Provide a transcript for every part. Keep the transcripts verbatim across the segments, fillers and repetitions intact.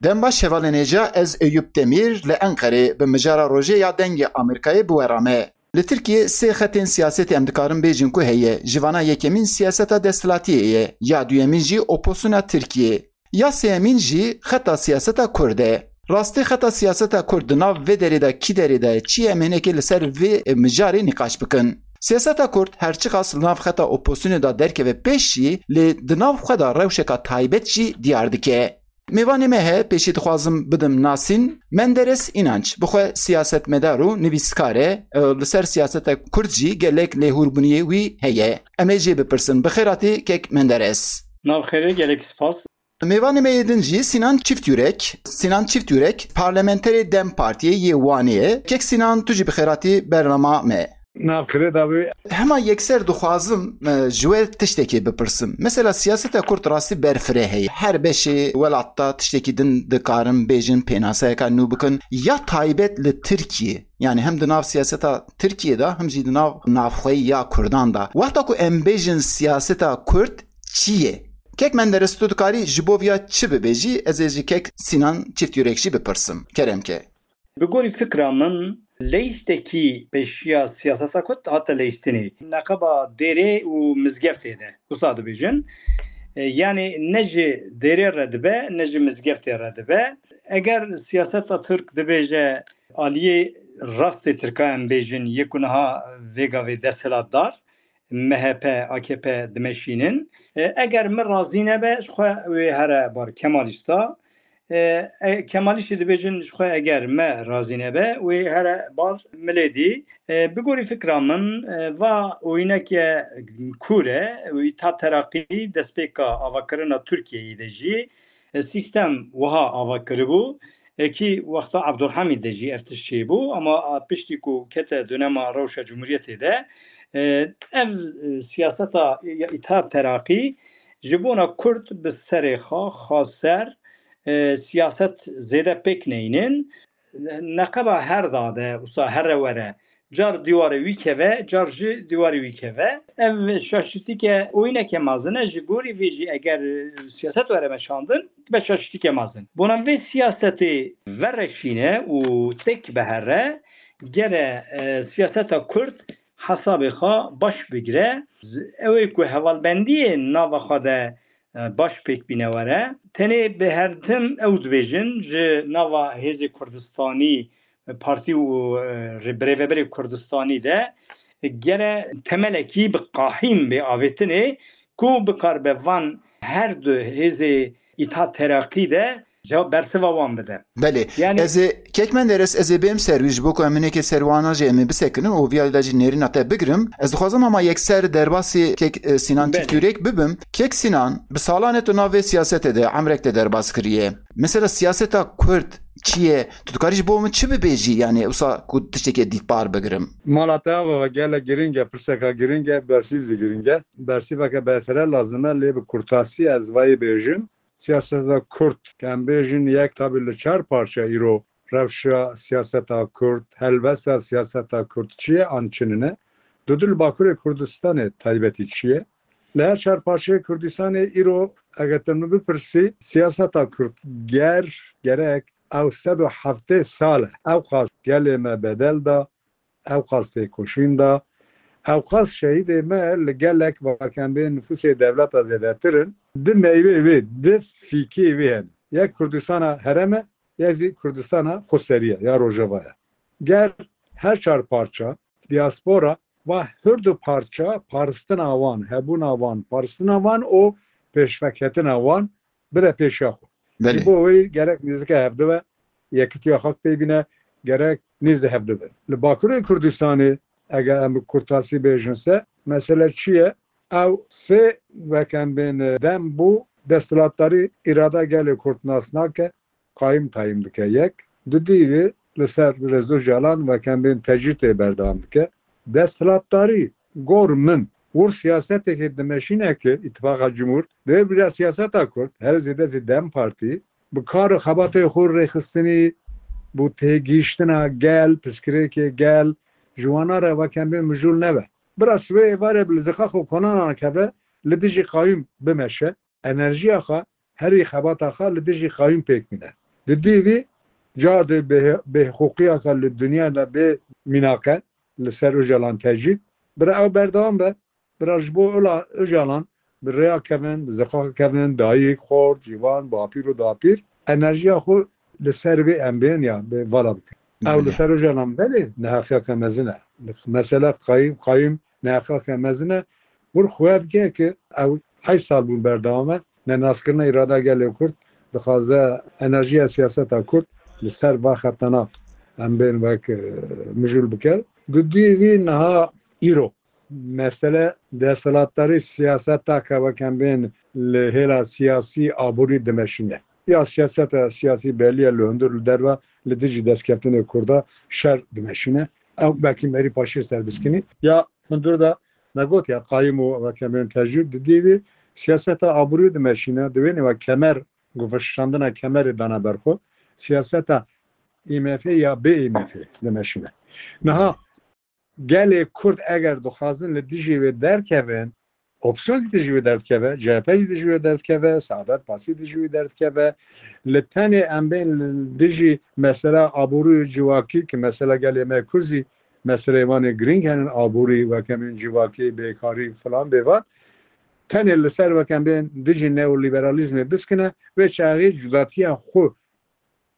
Dem baş hevalên hêja, ez Eyûp Demîr li Enqerê bi mijara rojê ya Dengê Amerîkayê bi we re me. Li Tirkiyê sê xetên siyasetê em dikarin bêjin ku heye. Ji vana yekemîn siyaseta desthilatiyê ye, ya duyemîn jî opozisyona Tirkiyê. Ya sêyemîn jî xeta siyaseta Kurd e. Rastî xeta siyaseta Kurd di nav vê derê de kî derê de ye, çi ye, em hinekê li ser vê mijarê nîqaş bikin. Siyaseta Kurd her çiqas li nav xeta opozisyonê de derkeve pêş jî, lê di nav xwe de rewşeka taybet jî diyar dike. Mêvanê me heye, pêşî dixwazim bidim nasîn. Menderes Înanç, bi xwe siyasetmedar û nivîskar e, e, li ser siyaseta Kurd jî gelek lêhûrbûniyê wî heye. Em ê jê bipirsin. Bi xêratî kek Menderes. Nav xêrê, gelek spas. Mêvanê me yê din jî Sinan Çiftyurek. Sinan Çiftyurek, parlamenterê dem Partiyê yê Wanê ye. Kek Sinan, tu jî bi xêratî bernama me. Nav xêrê dawî. Hema yekser dixwazim, e, ji we tiştekê bipirsim. Mesela siyaseta Kurd rastî berfireh heye. Her beşê welat de tiştekî din dikarin bêjin, pênaseyeka nû bikin. Ya taybet li Tirkiyê, yani hem di nav siyaseta Tirkiyê de, hem jî di nav navxweyî ya Kurdan de. Wexta ku em bêjin siyaseta Kurd çi ye? Kek Menderes, tu dikarî ji bo viya çi bibêjî? Ez ê ji kek Sinan Çiftyurek jî bipirsim. Kerem ke. Bi gorî fikra min, leyîstekî pêşiya siyaseta Kurd hate leyîstinê. Neqeba dêrê û mizgeftê de, wisa dibêjin. E, yanî ne ji dêrê re dibe, ne ji mizgeftê re dibe. Eger siyaseta Tirk dibêje aliyê rastê Tirka, em bêjin, yê ku niha vê gavê desthilatdar, M H P, A K P dimeşînin. E, eger min razî nebe, ji xwe wê here bar Kemalîsta. E, e, Kemalîstê dibêjin, ji xwe eger me razî nebe, wê here bar milê dî. E, bi gorî fikra min, e, va oyîneke kûr e, û Îtîhad Teraqî destpêka avakirina Tirkiyeyê de jî, e, sîstem wiha ava kiribû. E, kî wexta Abdulhamîd de jî ev tişt çêbû, ama a piştî ku kete dönema rewşa Cumhuriyetê de, e, ev, e, siyaseta ya Îtîhad Teraqî ji bona Kurd bi serê xwe, xwe ser, e, siyaset zêde pêk neynin. Neqeba her dade, wisa here were, car dîwarê wî keve, car jî dîwarê wî keve. Ev şaşîtîke oyîneke mezin e, ji gorî vê jî eger, e, siyaset were meşandin, dibe şaşîtîke mezin. Bona vê siyasetê vereşîne û têk bihere, gere, e, siyaseta Kurd hesabê xwe baş bigire. Ew ê ku hevalbendiyê nava xwe de e, baş pêk bîne were. Tenê bi hertim ew dibêjin, ji nava Hêzê Kurdistanî, e, partî û, e, rê-, birêveberê Kurdistanî de, e, gere temelekî bi qahîm bê avêtinê ku bikaribe van her du hêzê Îtîhad Teraqî de cewab bersiva wan bide. Belê. Yani ez ê, kek Menderes, ez ê bêm ser wî, ji bo ku em hinekê ser wana jî em ê bisekinin û viya de jî nêrîna te bigirim. Ez dixwazim hema yekser derbasî kek, e, Sinan Belê. Çiftyurek bibim. Kek Sinan, bi salan e tu nav vê siyasetê de, emrek te derbas kiriye. Mesela siyaseta Kurd çi ye? Tu dikarî ji bo min çi bibêjî? Yani wisa ku tiştekê dîtbar bigirim. Mala te ava gelek giring e, pirseka giring e, bersîv zî giring e. Bersîveke berfireh lazim e, lê bi kurtasî ez vayê bêjim. Siyaseta Kurd, ke em bêjin yek tabî li çar parçe îro rewşa siyaseta Kurd, helbesta siyaseta Kurd çi ye an çi nine? Dudu li Bakurê Kurdistanê taybetî çi ye? Li her çar parçeyê Kurdistanê îro eger te min bipirsî, siyaseta Kurd ger, gerek ew sed û heftê sal e. Ew qas gelê me bedel da, ew qas têkoşîn da, ew qas şehîdê me li gelek, weke em bê, nifûsê dewleta zêdetir in. Di meyvê wê, di fîkê wê hene. Yek Kurdistana herem e, yek zî Kurdistana xweserî ye ya Rojava ye. Ger her çar parça, diaspora, va her du parça paristina wan, hebûna wan, paristina wan û pêşveketina wan bide pêşiya xwe. Belê. Ji bo wê gerek nêzîka hevdu be, yekitiya xwe pê bîne, gerek nêzdî hevdu be. Li Bakurê Kurdistanê, eger em bi kurtasî bêjin se, mesele çi ye? Ew sê, weke em bên, dem bû, desthilatdarî îrada gelê Kurd nas nake, qayim tayîn dike yek. Dudî li ser Rêz Ocalan, weke em bên, tecrîd tê berdewam dike. Desthilatdarî, gor min, wir siyaseteke dimeşîne ki Îtifaqa Cumhur, divê bi siyaseta Kurd, her zêde zî dem Partî, bi kar û xebatê xwe rêxistinî, bo têgihiştina gel, pirsgirêkê gel, ji wana re, weke em bên, mijûl nebe. Bira ji wê êvarê bi li ziqa xwe konanan keve, li dijî qayûm bimeşe, enerjiya xwe, herî xebata xwe li dijî qayûm pêk bîne. Di dî vî car de bê-, bêhiqûqiyeke li dinya de bê mînake li ser Ocalan tecî. Bira ew berdewam be. Bira ji bo Ola-, Ocalan bi rêya kevin, bi ziqaqa kevin, dayik, xort, ciwan, bapîr û dapîr enerjiya xwe li ser vê em bên ya bi vala bikin. Ew li Belê. ser Ocalan belê neheqiyeke mezin e. Mesela qayîm, qayîm neheqiyeke mezin e. Wir xwe bike ki ew heşt sal bûn berdewam e. Nenaskirina îrada gelê Kurd dixwaze enerjiya siyaseta Kurd li ser va xetana em bên wek, e, mijûl bike. Di dî vî niha îro mesele desthilatdarî siyaseta ke wek em bên li hêla siyasî aborî dimeşîne. Ya siyaseta siyasî belî ye li hundir li derve li dijî destkeftinê Kurda şer dimeşîne. Ew belkî merî paşê ser biskinî. Ya hundir de me got ya qayîm û wek em bên tecrûd di dî vî siyaseta aborî dimeşîne. Di wênê we kemer, ku veşandina kemerê dana ber xwe, siyaseta IMF ya bê IMF dimeşîne. Niha gelê Kurd eger dixwazin li dijî wê derkevin, opsiyon jî dijî wê derdikeve, C H P jî dijî wê derdikeve, Saadet Partî dijî wê derdikeve. Li tenê em bên li dijî mesela aborî û civakî, ki mesela gelê me Kurd jî meseleyê wan ê girîng henin, aborî, wek em bên civakî, bêkarî filan bêvan. Tenê li ser wek em bên dijî neoliberalîzmê biskine, wê çaxê cudatiya xwe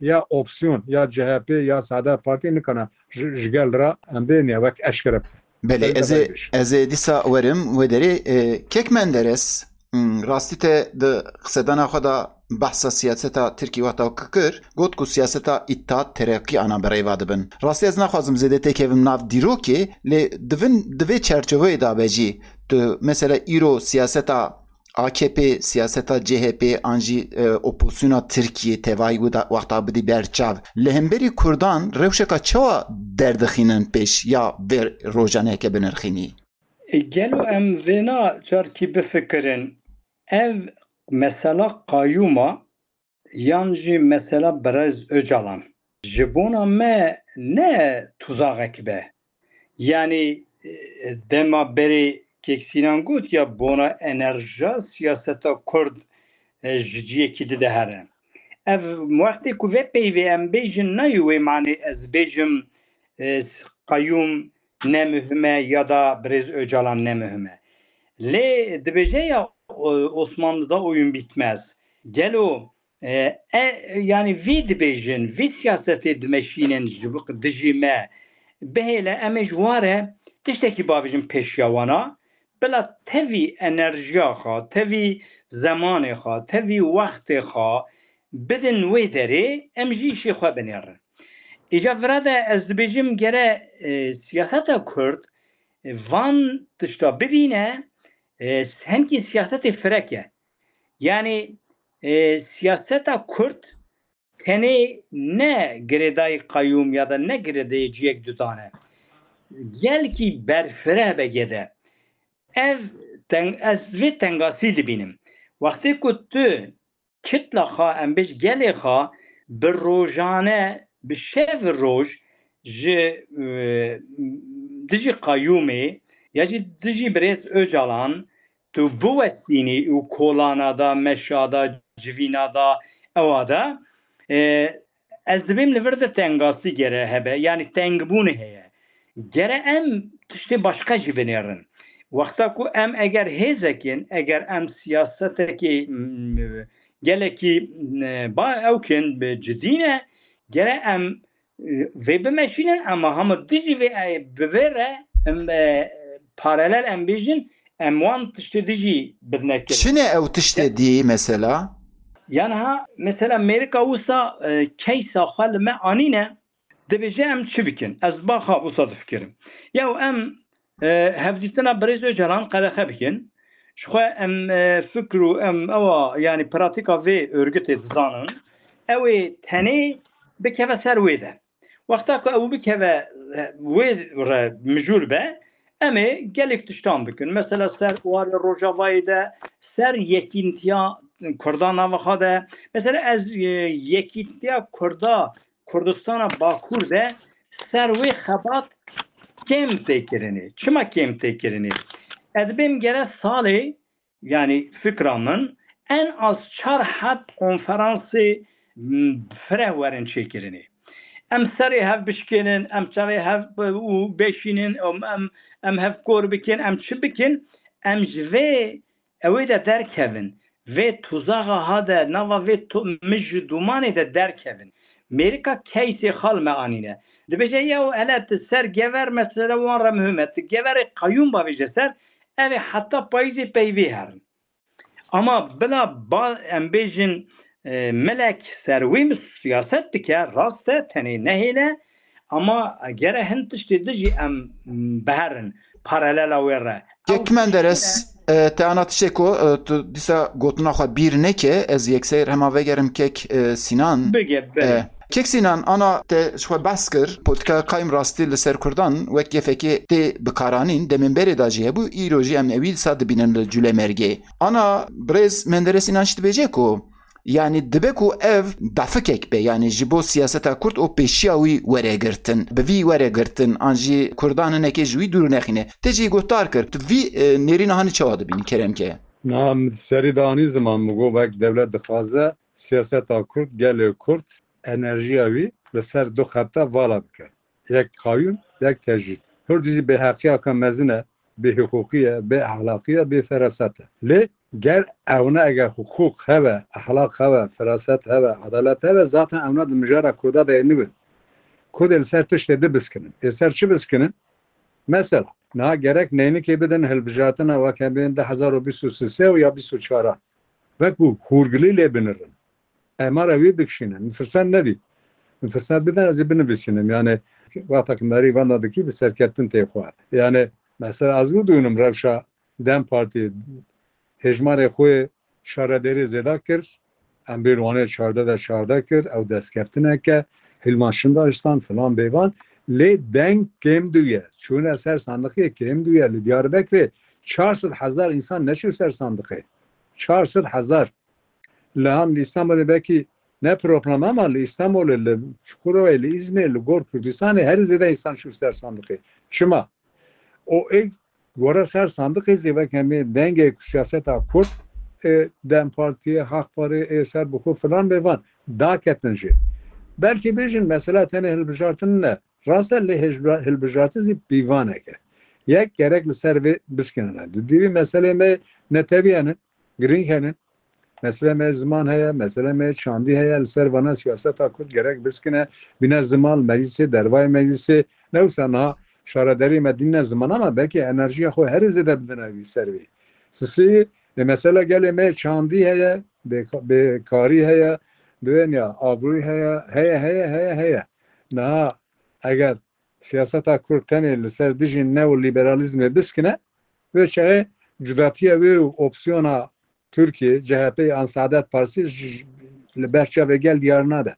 ya opsiyon, ya C H P, ya Saadet Partî nikana ji, ji gel re em bên ya wek eşkere. Belê, Belê, ez ê, belê. ez ê dîsa werim wê derê, e, Kek Menderes, hmm, rastî te di qisedana xwe de behsa siyaseta Tirkî wexta ku kir, got ku siyaseta îttihat tereqî ana bi rêva dibin. Rastî ez naxwazim zêde têkevim nav dîrokê, lê divin, di vê çerçoveyê de be jî tu mesela îro siyaseta A K P, siyaseta C H P an jî, e, opozisyona Tirkiyê tevayî wida-, wexta bidî ber çav. Li hemberî Kurdan rewşeka çawa derdixînin pêş ya vê rojaneke binirxînî? E, gelo em vêna carkî bifikirin, ev mesela qayûma yan jî mesela Birêz Ocalan ji bona me ne tuzaxek be. Yanî, e, dema berê Kek Sînan got ya bona enerjiya siyaseta Kurd, e, ji ciyekî dide here. Ev wextê ku vê peyvê em bêjin nayê wê manê ez bêjim, e, qayûm ne muhim e ya da Birêz Ocalan ne muhim e. Lê dibêje ya, e, Osmanlı'da oyun bitmez. Gelo E, e, yanî vî dibêjin, vî siyasetê dimeşînin ji bo dijî me. Bihêle em ê ji ware tiştekî bavêjin pêşiya wana, bila tevî enerjiya xwe, tevî zemanê xwe, tevî wextê xwe bidin wê derê, em jî îşê xwe binêrin. Îca vira de ez dibêjim gere, e, siyaseta Kurd, e, van tişta bibîne, e, senkî siyaseta firek e. Yanî, e, siyaseta Kurd tenê ne girêdayî qayûm ya da ne girêdayî ciyek dudan e. Gelkî berfireh be gede. Ev teng-, ez vê tengasî dibînim. Wextê ku tu kitla xwe, em bêj gelê xwe, bi rojane, bi şev roj ji, e, dijî qayûmê ya jî dijî birêz Ocalan tu biwestînî û kolana da, meşa da, civîna da, ewa da, e, ez dibêm li vir de tengasî gere hebe, yanî tengbûnê heye. Gere em tiştê başqa jî binêrin. Wexta ku em eger hêzek in, eger em siyasetekê, m, gelekî, m, ba ew kin, bi cidî ne, gere em, e, vê bimeşînin, ema hema dijî vê, e, bi vê re em, e, paralel em bêjin, em wan tiştê dijî bidine kirin. Çi ne ew tiştê dî mesela? Yan ha, mesela Mêrika wisa, e, keysa xwe li me anîne, dibêje em çi bikin? Ez baxa wisa difikirim. Yaw em, e, hevdîtina birêz Ocalan qedexe bikin. Ji xwe em, e, fikr û em ewa, yanî pratîka vê örgütê dizanin. Ew ê tenê bikeve ser wê de. Wexta ku ew bikeve, e, wê re mijûl be, em ê gelek tiştan bikin. Mesela ser warê Rojavayê de, ser yekîntiya Kurda nava xwe de. Mesela ez, e, yekîntiya Kurda, Kurdistana Bakur de ser wê xebat kêm tê kirinê. Çima kêm tê kirinê? Ez dibêm gere salê, yanî fikra min, en az çar heb konferansê m, fireh werin çêkirinê. Em serê hev bişkênin, em çavê hev û bêşînin, em, em, em hev kor bikin, em çi bikin? Em ji vê ewê de derkevin. Vê tuzaxa ha de, nava vê tu-, mij û dûmanê de derkevin. Mêrika keysê xal me anîne. Dibêje, yew hele tu ser gever mesela wan re muhim e. Tu geverê qeyûm bavêje ser, ev ê heta payîzê peyvê herin. Ama bila ba-, em bêjin, e, milek ser wê mi siyaset dike, rast e, tenê nehêle, ama gere hin tiştê di jî em, m, biherin parelela wê re. Kek Menderes, e, te ana tiştê ku, e, tu dîsa gotina xwe bîr neke, ez yekser hema vegerim kek, e, Sinan. Bige, bige. E, Kek Sinan, ana te ji xwe behs kir, politika qayim rastî li ser Kurdan wek gefekê tê bikaranîn, demên berê de jî hebû, îro jî em ewî dîsa dibînin li Cûlemêrgê. Ana birêz Menderes Înanç dibêje ku, yanî dibe ku ev dafikek be, yanî ji bo siyaseta Kurd û pêşiya wî were girtin, bi vî were girtin, an jî Kurdan hinekê ji wî dûr nexîne. Te jî guhdar kir, tu vî, e, nêrîna hanî çawa dibînî, kerem ke? Na, min serî de anî ziman, min got, wek dewlet dixwaze siyaseta Kurd, gelê Kurd, enerjiya wî li ser du xebta vala bike. Yek qayûm, yek tecrîd. Hurdî jî bêheqiyeke mezin e, bêhiqûqî ye, bêehlaqî ye, bêferaset e. Lê ger ewne, eger hiqûq hebe, ehlaq hebe, feraset hebe, edalet hebe, zaten ewne di mijara Kurda de nibin. Kurdê li ser tiştê di biskinin. Ê ser çi biskinin? Mesela, niha gerek neynikê bidin hilbijartina weke bên du hezar û bîst û sê û ya bîst û çar. Wekî hûrgilî lê binirin. Emara wî bikişînin. Min firset nedî. Min firset bidin, ez ê binivîsînim. Yani, wexta ki merî venda dikî, bi serkeftin tê xwe. Yani, mesela, ez bidûnim rewşa DEM Partî hejmarê xwe şaredarî zêde kir. Em bên Wanê çardeh de çardeh kir, ew destkeftinek e, Hilman Şindaştan, filan bêvan. Lê deng kêm dûye. Çûne ser sandiqê kêm dûye. Li Diyarbekirê çar sed hezar însan neçû ser sandiqê. Çar sed hezar. Li han li Îstanbulê belkî ne problem, ama li Îstanbulê, li Çukurovayê, li Îzmîrê, li gor Kurdistanê herî zêde însan çû ser sandiqê. Çima? O ê gore ser sandiqê zî wek hemî dengê ku siyaseta Kurd, e, DEM Partiyê, Hak Parê, ê ser bi xwe filan bêvan daketin jê. Belkî bêjin mesela tenê hilbijartin ne. Rast e, lê hejba-, hilbijartin zî pîvanek e. Yek gerek li ser vê biskinin. Di dîvî meselê me netewî henin, girîng henin. Mesele me ziman heye, mesele me çandî heye, li ser vana siyaseta Kurd gerek biskine, bîne ziman, meclisê, dervayê meclisê, ne wisa niha şaredarî me dîne ziman, ama belkî enerjiya xwe herî zêde bidine vî ser vî. Sisî, e, mesela gelê me çandî heye, bê-, bêkarî heye, dunya abrûyî heye, heye, heye, heye, heye. Niha eger siyaseta Kurd tenê li ser dijî neoliberalîzmê biskine, vê çaxê cudatiya wê û opsiyona Tirkiye, C H P an Saadet Partisi ji, ji, li ber çavê gel diyar nabe.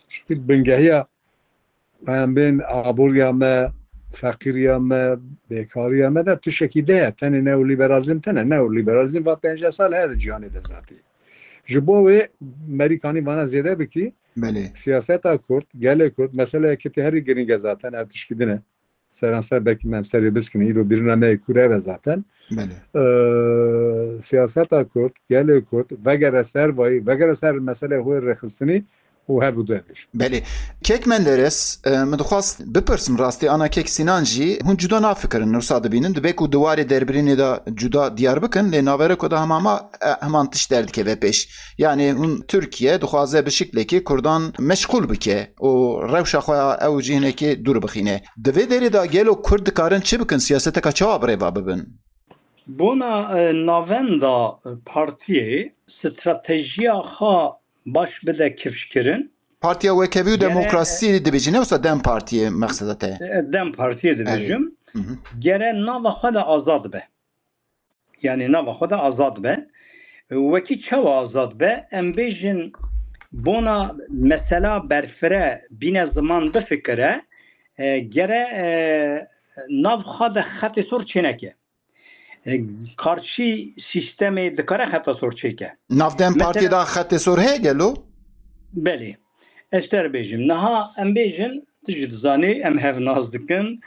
Çünkü bingehiya, em bên aboriya me, feqîriya me, bêkariya me de tiştekî de ye. Tenê neoliberalizm tene. Neoliberalizm va pêncî sal her cîhanê de zatî. Ji bo wê merîkanî vana zêde bikî, Belê. Siyaseta Kurd, gelê Kurd, meseleyekî tê herî girîng e zaten, ev tişkî din e. Seranser belkî me em serê biskin, îro birîna me yê kûr ev e zaten. Belê. Ee, siyaseta Kurd, gelê Kurd, vegere ser vayî, vegere ser meseleyê xwe rêxistinî û her bi du ev bêjin. Belê. Kek Menderes, e, min dixwast bipirsim rastî ana kek Sinan jî, hûn cuda nafikirin, wisa dibînin, dibe ku di warê derbirînê de cuda diyar bikin, lê navereko de hema ma, e, heman tişt derdikeve pêş. Yani hûn Tirkiye dixwaze bi şiklekê Kurdan meşxûl bike û rewşa xwe ya ew cî hinekê dûr bixîne. Di vê derê de gelo Kurd dikarin çi bikin, siyaseteka çawa bi rê ve bibin? Bona, e, navenda, e, partiyê stratejiya xwe baş bide kifşkirin. Partiya Wekhevî û Gere, Demokrasî dibêjî, ne wisa DEM Partiyê mexseda te? E, DEM Partiyê dibêjim. Hı hı. Gere nava xwe de azad be. Yani nava xwe de azad be. Wekî çawa azad be? Em bêjin bona mesela berfire bîne ziman bifikire, e, gere, e, nav xwe de xetê sor çêneke. E, karşî sîstemê dikare xeta sor çêke. Nav DEM Partiyê de xetê sor heye gelo? Belê. Ez te re bêjim. Niha em bêjin, tu jî dizanî, em hev nas dikin.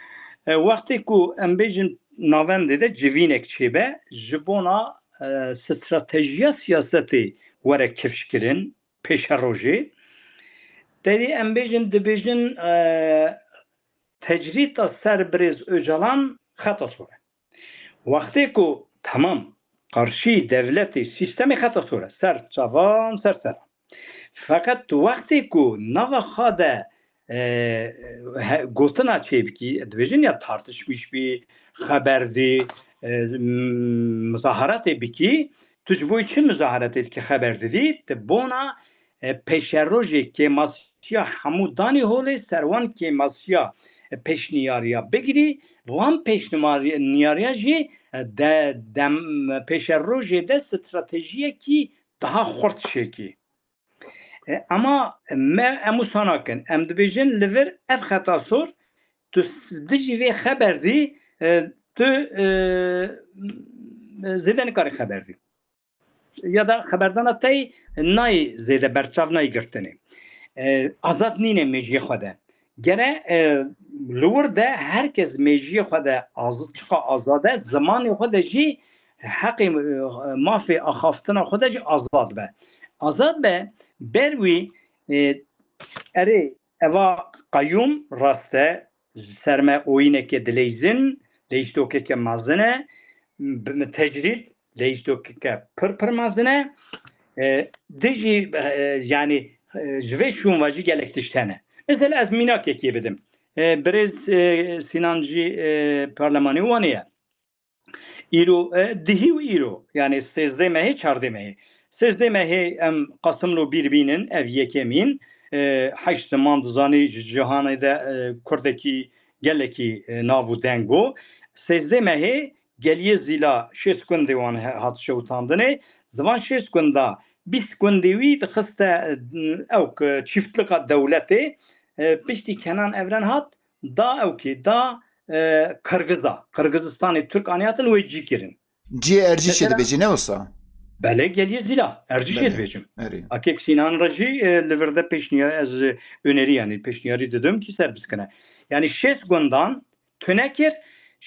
E, wextê ku em bêjin navendê de civînek çêbe, ji bona, e, stratejiya siyasetê were kifşkirin, pêşerojê. Tevî em bêjin, dibêjin, e, tecrîta ser birêz Ocalan xeta sor e. Wextê ku temam qarşî dewletê sîstemê xeta sor e, ser çavan, ser seran. Feqet wextê ku nava xwe de, e, he-, gotina çêbikî, dibêjin ya tartişmîş bî, xeber dî, e, m-, muzaharatê bikî, tu ji bo çi muzaharatê dikî, xeber didî, tu bona, e, pêşerojê kêmasiya hemû danî holê, ser wan kêmasiya, e, pêşniyariya bigirî, wan pêşniyariya jî, e, de, dem, pêşerojê de stratejiyekî daha xurt çêkî. E, ema me, em wisa nakin. Em dibêjin li vir ev xeta sor, tu s-, dijî vê xeber dî, e, tu, e, zêde nikarî xeber dî. Ya da xeberdana te yî nayê zêde berçav, nayê girtinê. E, azad nîne mêjiyê xwe de. Gere, e, li wir de her kes mêjiyê xwe de az-, çiqa azad e, zimanê xwe de jî heqê, e, mafê axaftina xwe de jî azad be. Azad be, ber wî, e, erê, eva qeyûm rast e, ji ser me oyîneke dileyzin, leyîstokeke mezin e, bi, tecrîd, leyîstokeke pir pir mezin e. E, dijî, e, yanî, e, ji vê şûn ve jî gelek tişt hene. Mesela ez mînakekê bidim. E, birêz, e, Sînan jî, e, parlemanê Wanê ye. Îro, e, dihî û îro, yanî sêzdeh mehê, çardeh mehê. Sêzdeh mehê em Qasimlo bîr bînin, ev yekemîn, e, heşt ziman dizanî, ji cîhanê de, e, kurdekî gelekî, e, nav û deng bû. Sêzdeh mehê geliyê Zîla şêst gundê wan he-, hat şewitandinê. Di van şêst gunda bîst gundê wî dixiste, e, ew ki çîftlika dewletê, e, piştî Kenan Evren hat, da ew kê, da, e, Qirgiza. Qirgizistanê Tirk anî hatin wê cî kirin. Cihê Ercîşê dibêjî, ne wisa? Belê, geliyê Zîla. Ercîşê dibêjim. Erê. Akek Sînan re jî, e, li vir de pêşniya-, ez, e, önerî, yanî pêşniyarî didim kî ser biskine. Yanî şêst gundan tune kir,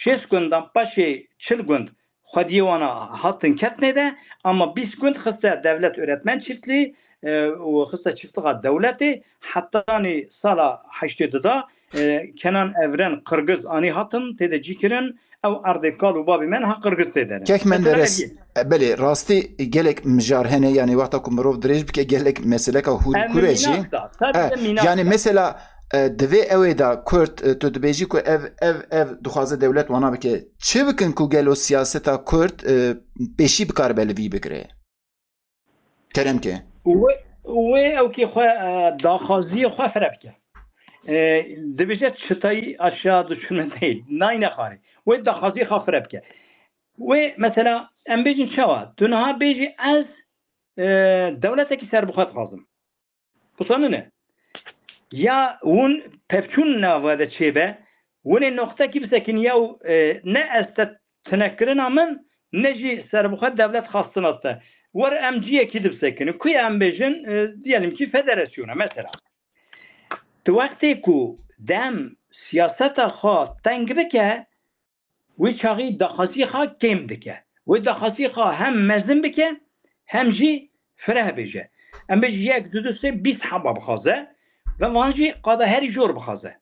şêst gundan paşê çil gund xwediyê wana hatin ketnê de, ama bîst gund xiste devlet öğretmen çiftliği, e, û xiste çiftlixa dewletê, hetanî sala heştê du da, e, Kenan Evren Qirgiz anî hatin, tê de cî kirin, ew erdê kal û babê me niha Qirgiz tê de ne. Qek Menderes, e, belê, rastî gelek mijar hene, yanî wexta ku mirov dirêj bike, gelek meseleka hûrkûr e jî. Mînak da, sadece mînak da. Yanî mesela, e, di vê ewê de Kurd, e, tu dibêjî ku ev, ev, ev dixwaze dewlet wana bike. Çi bikin ku gelo siyaseta Kurd, e, pêşî bikaribe li vî bigire? Kerem ke. Wê, wê ew kê xwe, e, daxwaziyê xwe fire bike. E, dibêje çıtayı aşağı düşürme değil. Nayne xwarê. Wê daxwaziyê xwe fire bike. Wê mesela em bêjin çawa? Tu niha bêjî ez, e, dewletekî serbixwe dixwazim. Wisa nine. Ya hûn pevçûn nava de çêbe, hûn ê noqtekî bisekin ya, e, ne ez te tinekirina min, ne jî serbixwe dewlet xwestina te. Wer em ciyekî di bisekinin. Ku em bêjin, e, diyelim ki federasyona, mesela. Tu wextê ku dem siyaseta xwe teng bike, wê çaxî daxwaziyê xwe kêm dike. Wê daxwaziyê xwe hem mezin bike, hem jî fireh bêje. Em bêjin yek, du, du, sê, bîst heba bixwaze ve van jî qada herî jor bixwaze.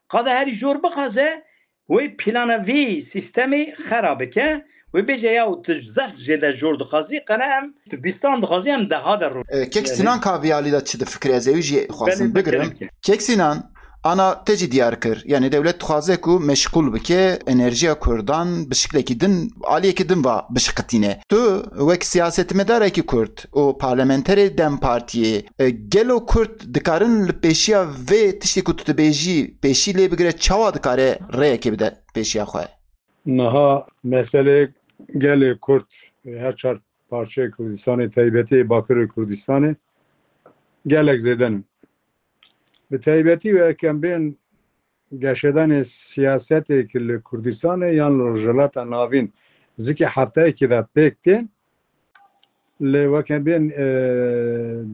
Qada herî jor bixwaze, wê plana vî sîstemê xera bike, wê bêje ya tu zehf jê de jor dixwazî, qene em tu bîstan dixwazî, em deha de ro-, E, Kek Sinan ka vî alî de çi difikire, ez ewî jî xwazim bigirim. Belê, bigirim. Kek Sinan, ana te jî diyar kir. Yanî dewlet dixwaze ku meşgûl bike, enerjiya Kurdan bi şiklekî din, aliyekî din va bişiqitîne. Tu wek siyasetmedarekî Kurd û parlamenterê dem Partiyê, e, gelo Kurd dikarin li pêşiya vê tiştê ku tu dibêjî pêşî lê bigire, çawa dikare rêyekê bide pêşiya xwe? Niha meselê gelê Kurd, e, her çar parçeyê Kurdistanê, taybetî Bakurê Kurdistanê gelek zêde ne. Bi taybetî wê em bên geşedanê siyasetê ki li Kurdistanê yan li Rojhilata Navîn zikê hefteyekê de pêk tên, lê wek em bên, e,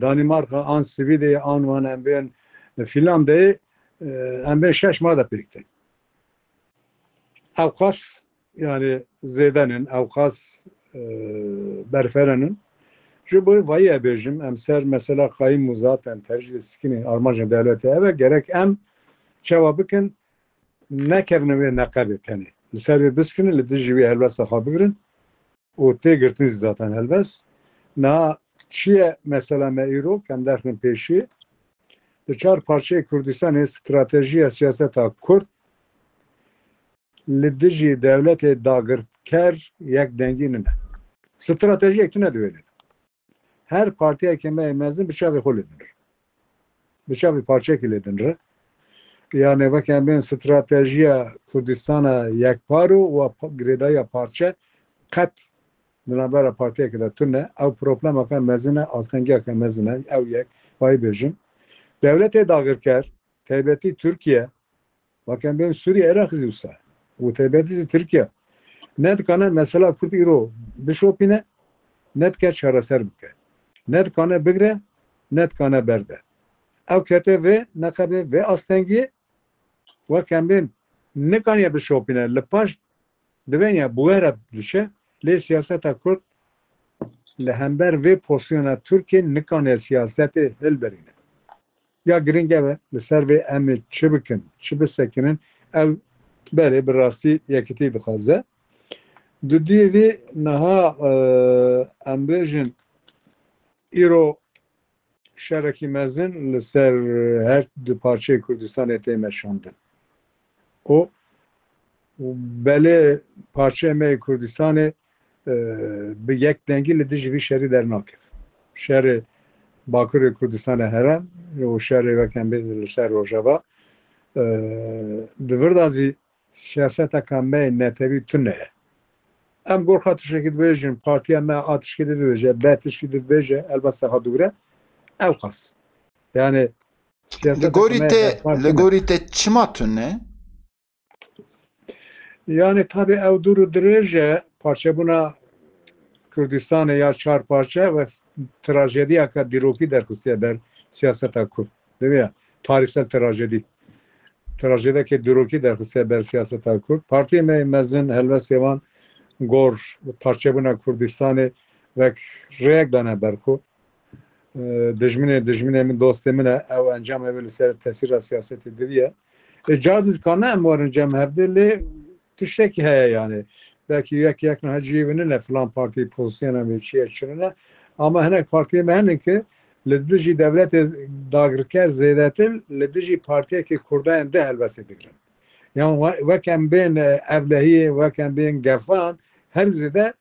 Danîmarka an Swîdê an wan em bên Fînlandeyê, e, em bên şeş mah de pêk tên. Ewqas, yani, zêden in, ewqas, e, berferen in. Ji bo vayî bêjim, em ser mesela qayîm û zaten tercîh sikinê armanca dewletê ev e, gerek em çawa bikin, nekevin wê neqebê tenê. Li ser wê biskinin, li dijî wê helwesta xwe bigirin û tê girtin zî zaten helwest. Niha çi ye mesela me îro, em derxin pêşî. Li çar parçeyê Kurdistanê stratejiya siyaseta Kurd li dijî dewletê dagirker yek dengî nine. Stratejiyek tune di wê de. Her partiyeke me yê mezin bi çavê xwe lê dinir. Bi çavê parçeyekê lê dinir. Yani weke em bên stratejiya Kurdistana yekpar û wa pa-, girêdayiya parçe qet di navbera partiyekê de tune. Ew problemeke mezin e, astengiyeke mezin e. Ew yek, vayî bêjim. Dewletê dagirker, taybetî Tirkiye, weke em bên Sûriye, Iraq zî wisa, û taybetî zî Tirkiye, ne dikane mesela Kurd îro bişopîne, ne dike çareser bike. Ne dikane bigre, ne dikane berde. Ew kete vê neqebê, vê astengiyê, weke em bên nikaniye bişopîne, li paş divên ya bi we re diçe, lê siyaseta Kurd li hember vê pozisyona Tirkiye nikane siyasetê hilberîne. Ya giring ev e, li ser vê em ê çi bikin, çi bisekinin, ew belê bi rastî yekitî dixwaze. Dudiyê vî niha, e, em bêjin, îro şerekî mezin li ser her du parçeyê Kurdistanê tê meşandin. Û belê parçeyê me yê Kurdistanê, e, bi yek dengî li dijî vî şerî dernakeve. Şerê Bakurê Kurdistanê herem û şerê weke em bêjin li ser Rojava, e, di vir de zî siyaseteke me yê netewî tune ye. Em gor xwe tiştekî dibêjin, partiya me a tişkî dibêje, B tişkî dibêje, helbesta xwe digure, ew qas. Yani, Li gorî te, li gorî te çima tune? Yani, tabi ew dûr û dirêj e, parçebûna Kurdistanê ya çar parçe ve trajediyaka dîrokî derxistiye ber siyaseta Kurd. Diviya tarîhsel trajedî. Trajediyeke dîrokî derxistiye ber siyaseta Kurd. Partiyê me yê mezin helwestê wan gor parçebûna Kurdistanê wek rêyek dane ber xwe. E, dijminê, dijminê min, dostê min e, ew encamê wê li ser tesîra siyasetê diviye. E, car dikane em werin cem hevdê, lê tiştekî heye yani. Belkî yek yek niha cihê wî nine, filan partî pozisyona wê çi ye, çi nine. Ama hinek partiyê me hene ki li dijî dewletê dagirker zêdetir, li dijî partiyekê Kurda yên di helbestê digirin. Yan we-, wek em bên, e, evlehiyê, wek em bên gefan, her zêde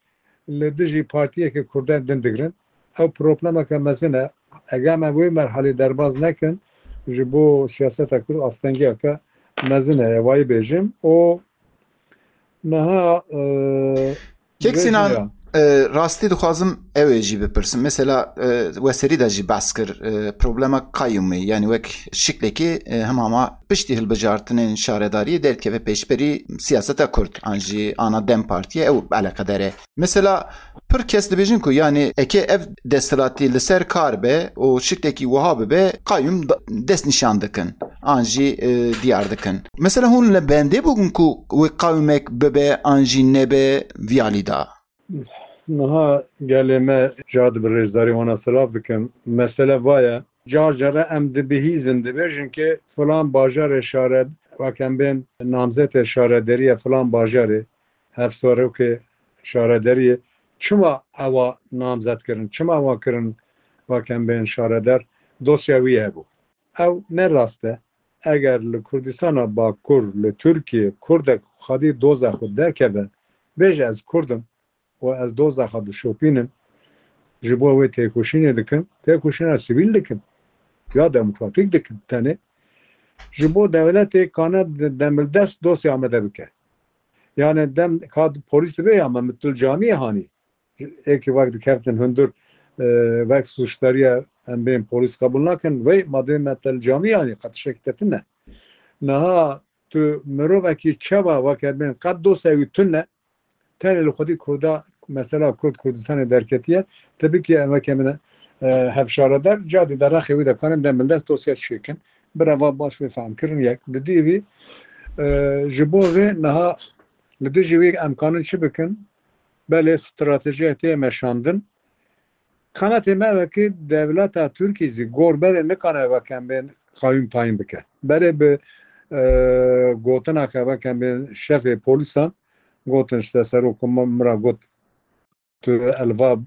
li dijî partiyeke Kurdan din digirin. Ew problemeke mezin e. Eger me wê merhalê derbaz nekin, ji bo siyaseta Kurd astengiyeke mezin heye, vayî bêjim. Û niha, e, Kek Sinan, e, rastî dixwazim ew ê jî bipirsim. Mesela, e, we serî de jî behs kir, e, problema qayûmê, yani wek şiklekê, e, hemama piştî hilbijartinên şaredariyê derdikeve pêşberî siyaseta Kurd, an jî ana DEM Partiye ew eleqedar e. Mesela, pir kes dibêjin ku, yani, eke ev desthilatî li ser kar be û şiklekî wiha bibe, qayûm da-, dest nîşan dikin, an jî, e, diyar dikin. Mesela, hûn li bendê bûn ku wê qayûmek bibe, an jî nebe vî alî de? Niha gelê me, car di bi rêzdarî wana silav dikim. Mesele va ye. Car care em dibihîzin, dibêjin ki filan bajarê şare-, wek em bên namzetê şarederiye filan bajarê, hevserokê şarederiye, çima ewa namzet kirin, çima ewa kirin, wek em bên şareder, dosya wî hebû. Ew ne rast e. Eger li Kurdistana Bakur, li Tirkiye, Kurdek xwedî doza xwe derkeve, bêje, ez Kurd im û ez doza xwe dişopînim, ji bo wê têkoşînê dikim, têkoşîna sivîl dikim, ya demokratîk dikim tenê, ji bo dewletê kane de-, demildest dosya amade bike. Yani dem ka polîs dibe ya me mitul camiyê hanî. Êkî wek dikeftin hundir, e, wek suçdariya em bên polîs qebûl nakin, wey ma dê me tel camiyê hanî, qet tiştekî te tune. Niha tu mirovekî çawa weke bên qet dosya wî tune, tenê li xwedî Kurda, mesela Kurd Kurdistanê derketiye, tu bikî em weke min, e, hevşaredar, cadî de rexê wî de karin demildest dosya çêkin. Bira va baş vê fehm kirin yek. Di dî vî, e, ji bo vê niha li dijî wî em kanin çi bikin? Belê stratejiya tê meşandin. Qenetê me wekî dewleta Tirkî jî gor berê nikane wekembên qayûm tayîn bike. Berê bi, e, gotina ke wekembên şefê polîsan gotin, işte, serok min ra got, "Tu elva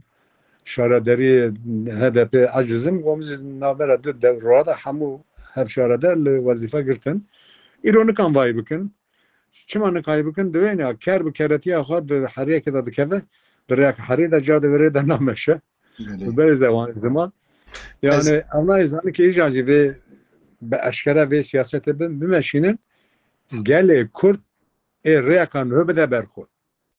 şaredariyê H D P eciz im." Got, "Min jî navbera du dewra de hemû hevşaredar li wezîfe girtin. Îro nikan vayî bikin." Çima nikayî bikin? Divê ya ker bi keretiya xwe di heriyekê de dikeve, bi rêyek herî de, ca di vê rê de nameşe. Belê. Bi berê zewan ziman. Yani, ev nayê zanin ki îca jî vê bi eşkere vê siyasetê bin, bimeşînin, gelê Kurd ê rêyeka nuh bide ber xwe.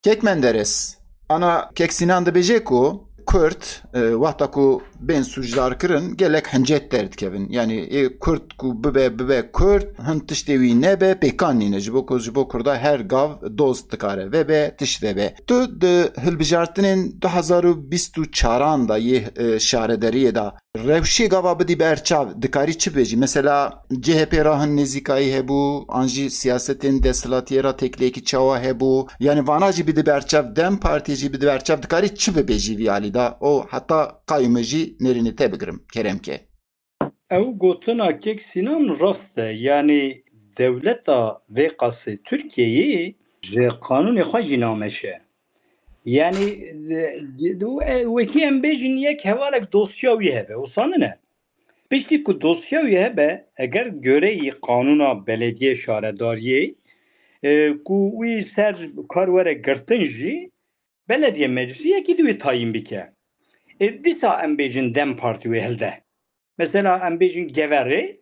Kek Menderes, ana Kek Sinan dibêje ku Kurd, e, wexta ku bên sûcdar kirin, gelek hincet derdikevin. Yani, ê Kurd ku bibe, bibe Kurd, hin tiştê wî nebe, pêkan nîne. Ji bo ku, ji bo Kurda her gav dost dikare vebe, tişt vebe. Tu di hilbijartinên du hezar û bîst û çaran de yê, e, şaredariyê de rewşê gava bidî ber çav, dikarî çi bêjî? Mesela C H P ra hin nêzîkayî hebû, an jî siyasetên desthilatiyê ra têkiliyekî çawa hebû? Yani vana jî bidî ber çav, DEM Partiyê jî bidî ber çav, dikarî çi bibêjî vî alî de? O heta qayûmê jî nêrînê te bigirim, kerem ke. Ew gotina Kek Sinan rast e. Yani dewleta vê qasê Tirkiyeyê ji qanûnê xwe jî nameşe. Yani, e, e, wekî em bêjin yek hevalek dosya wî hebe, wisa nine? Piştî ku dosya wî hebe, eger goreyî qanûna belediyê şaredariyê, e, ku wî ser kar were girtin jî, belediye meclisî yekî di wê tayîn bike. E, dîsa em bêjin DEM Partî wê hilde. Mesela em bêjin Geverê,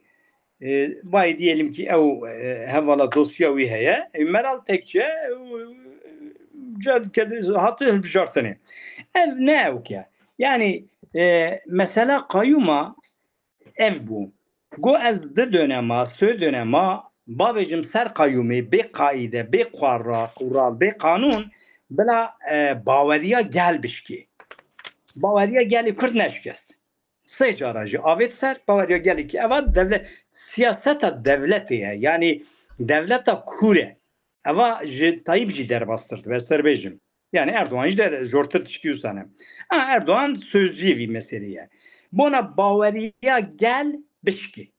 e, bayê diyelim ki ew, e, hevala dosya wî heye. E, Meral Tekçe, e, ca dike hati hilbijartinê. Ev ne ewk e. Yani, e, mesela qayûma ev bû. Go ez di dönema, sê dönema, bavêjim ser qayûmê, bê qaîde, bê qura-, qural, bê qanûn, bila, e, baweriya gel bişkê. Baweriya gelê Kurd neşikest. Sê cara jî avêt ser, baweriya gelekî eva devlet, siyaseta devletê ye. Yani dewleta kûr e. Eva ji Tayyip jî derbastir dibe, ez te bêjim. Yani Erdoğan jî der-, jortir tişkî wisa ne. A, Erdoğan sözcüyê vî meselê ye. Bona baweriya gel bişkî.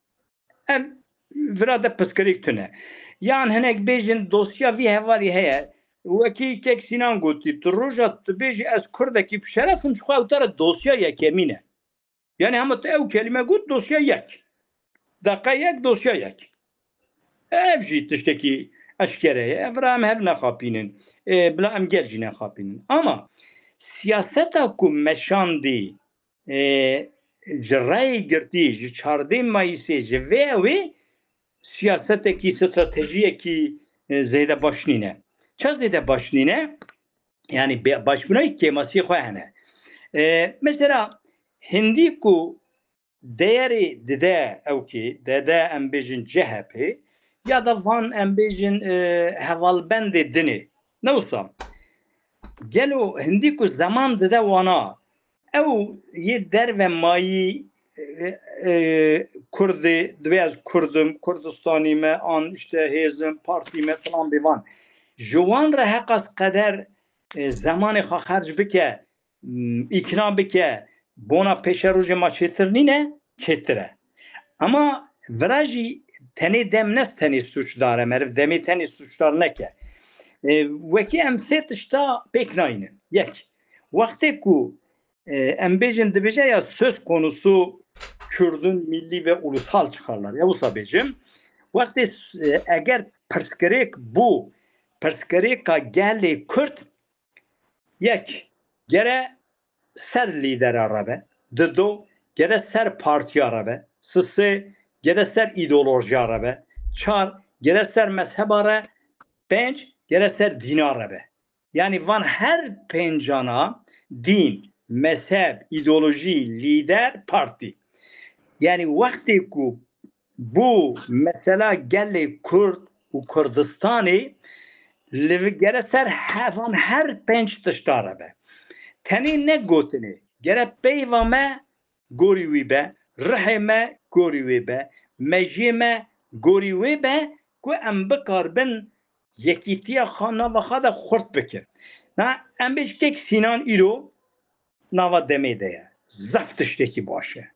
Em vira de pirsgirêk tune. Yan hinek bêjin dosya vî hevalî heye. Wekî Kek Sinan gotî, tu roja tu bêjî ez Kurdekî bi şeref im, ji xwe ew te re dosya yekemîn e. Yani hema tu ew kelîme got, dosya yek. Deqa yek, dosya yek. Ev jî tiştekî eşkere ye. Ev ra em hev nexapînin. E, bila em gel jî nexapînin. Ama siyaseta ku meşandî, e, ji rayê girtî, ji çardê Mayîsê, ji vê ew ê siyasetekî, stratejiyekî, e, zêde baş nîne. Ça zêde baş nîne? Yani be-, başbûna kêmasiyê xwe hene. E, mesela hindî ku deyerê dide ewkê, dede em bêjin C H P, ya da van em bêjin, e, hevalbendê dinê. Ne wisa? Gelo hindî ku zeman dide wana, ew yê derve mayî, e, e, Kurdê, divê ez Kurd im, Kurdistanî me, an işte hêz im, partî me, filan bê van. Ji wan re heqas qeder, e, zemanê xwe xerc bike, m, îkna bike, bona pêşerojê ma çêtir nîne, çêtir e. Ama vira jî tenê dem ne tenê sûcdar e, meriv demê tenê sûcdar neke. E, wekî em sê tişta pêk nayînin. Yek, wextê ku, e, em bêjin dibêje ya söz konusu Kürdün milli ve ulusal çıkarlar. Ya wisa bêjim, wextê, e, eger pirsgirêk bû, pirsgirêka gelê Kurd, yek, gere ser lîdera re be. Dido, gere ser partiya re be. Sisê, gere ser îdeolojiya re be. Çar, gere ser mezheba re. Pênc, gere ser dîna re be. Yani van her pêncana dîn, mezheb, îdeolojî, lîder, partî. Yani wextê ku bû mesela gelê Kurd û Kurdistanê li gere ser hevan her pênc tişta re be. Tenê ne gotinê, gere peyva me gorî wî be, rihê me gorî wê be, mejiyê me gorî wê be ku em bikaribin yekîtiya xwe nava xwe de xurt bikin. Na, em bê ji kek Sînan îro nava demê de ye. zehf tiştekî baş e.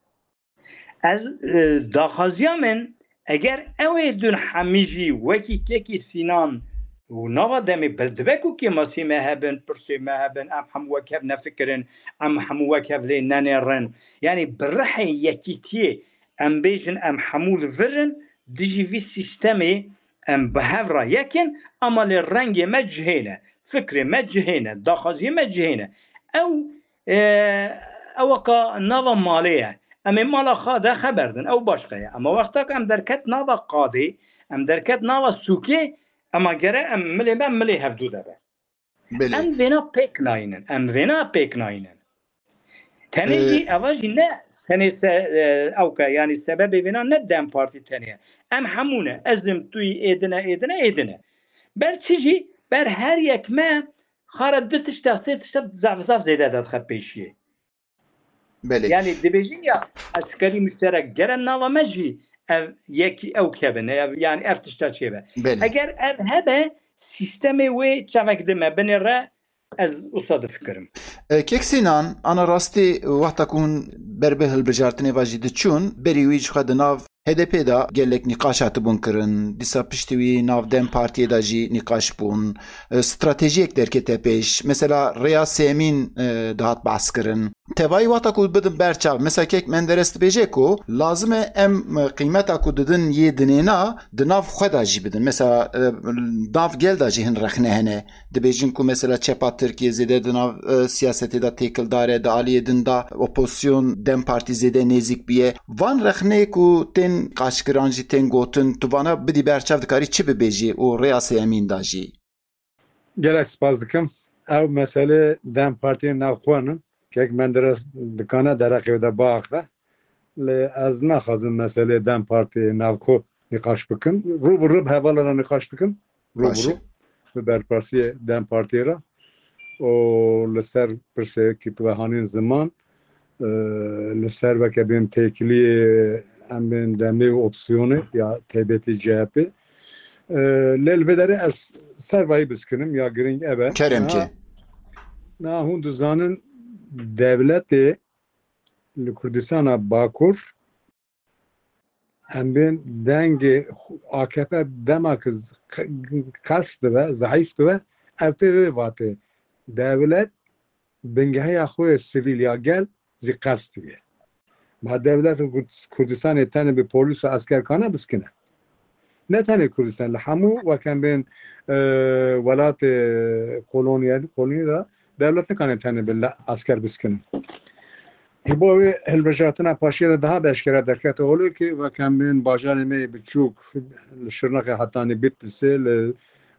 Ez, e, daxwaziya min, eger ew ê din hemî jî wekî kekî Sînan û nava demê bil dibe ku kêmasî me hebin, pirsê me hebin, em hemû wek hev nefikirin, em hemû wek hev lê nenêrin. Yanî bi rihê yekîtiyê em bêjin em hemû li vir in, dijî vî sîstemê em bi hev re yek in, ama lê rengê me cihê ne, fikrê me cihê ne, daxwaziyê me cihê ne. Ew, e, ew weka nava malê ye. Em ê mala xwe de xeber din, ew başqe ye. Ama wexta ku em derket nava qadê, em derket nava sûkê, ema gere em milê me milê hevdû de be. Belê. Em vêna pêk nayînin. Em vêna pêk nayînin. Tenê Ee, jî, eva jî ne tenê se-, e, ewke, yanî sebebê vêna ne DEM Partî tenê ye. Em hemû ne. Ez im, tu yî, êdine, êdine, êdine. Ber çi jî, ber her yek me xara du tişta, sê tişta zaf, zaf zêde dadixe pêşiyê. Belê. Yanî dibêjin ya, eskerî muşterek gere nava me jî ev yekî ew kevin, ev, yanî ev tişta çêbe. Belê. Eger ev hebe, sîstemê wê çavek dime binê re, ez wisa difikirim. E, Kek Sînan, ana rastî wexta ku hûn ber bi hilbijartinê ve jî diçûn, berî wî ji xwe di nav H D P de gelek nîqaş hatibûn kirin. Dîsa piştî wî nav DEM Partiyê de jî nîqaş bûn. E, stratejiyek derkete pêş. Mesela rêya sêyemîn, e, dihat behs kirin. Tevayî wexta ku bidin ber çav. Mesela Kek Menderes dibêje ku lazim e em, e, qîmeta ku didin yê dinêna di nav xwe de jî bidin. Mesela, e, nav gel de jî hin rexne hene. Dibêjin ku mesela çepa Tirkiyê zêde di nav, e, siyasetê de têkildar e, di aliyê din de opozisyon DEM Partî zêde nêzîk bûye. Van rexneyê ku tên qaşkiran jî tên gotin, tu vana bidî ber çav, dikarî çi bibêjî û rêya sêyemîn de jî? Gelek spas dikim. Ew meselê DEM Partiyê navxwe ne. Kek Menderes dikane dereqê de biaxe. Lê ez naxwazim meselê DEM Partiyê navxwe nîqaş bikim. Rû bi rû bi hevala re nîqaş dikim. Rû bi Baş e. rû bi berpirsiyê DEM Partiyê re. Û li ser pirsê ki tu ve hanîn ziman, e, li ser veke bên têkiliyê em bên demê û opsiyonê ya taybetî C H P. E, lê li vê derê ez ser vayî biskinim ya girîng ev e. Kerem Niha, ki. niha hûn dizanin dewletê li Kurdistana Bakur em bên dengê A K P dema ki qels dibe, zehîf dibe, ev tê vê vatê. Dewlet bingeheya xwe yê sivîl ya gel jî qels dibe. Ma dewlet Kurd-, Kurdistanê tenê bi polîs û esker kane biskine. Ne tenê Kurdistan, li hemû wek em bên, e, welatê kolonyal, kolonî de dewlet nikane tenê bi le-, esker biskine. Ji bo wê hilbijartina paşiya de daha bi eşkere derkete holê ki wek em bên bajarê me yê biçûk li Şirnexê hetanî Bitlisê, li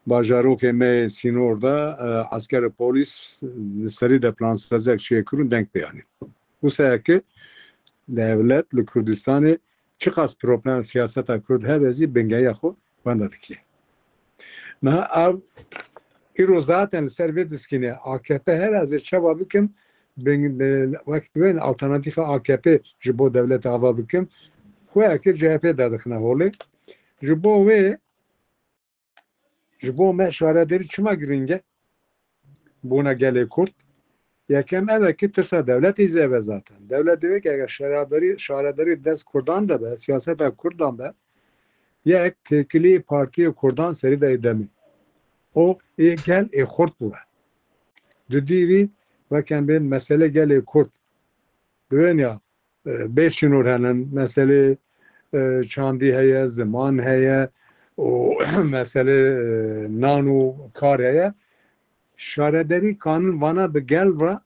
bajarokê me yê sînor de, e, esker û polîs li serî de plan sezek çêkirûn deng pê anîn. Wisa ki dewlet li Kurdistanê çiqas problem siyaseta Kurd hebe zî bingeya xwe wenda dike. Niha ev îro zaten li ser vê diskîne A K P her ez ê çawa bikim, bin-, bin-, wek wên alternatîfa A K P ji bo dewleta ava bikim, xwe ki C H P derdixine holê. Ji bo wê Ji bo me şaredarî çima girîng e? Bona gelê Kurd. Yekem ev e ki tirsa dewletê zêde zaten. Dewlet divê ki eger şaredarî, şaredarî dest Kurdan de be, siyaseta Kurdan be, yek têkilî partiyê Kurdan serî de demê. O ê gel ê xurt bû. Di dî vî wek em bên mesele gelê Kurd. Divên ya e, bê sînor hene. Meselê, e, çandî heye, ziman heye û meselê, e, nan û kar heye. Şaredarî kanin vana bi gel re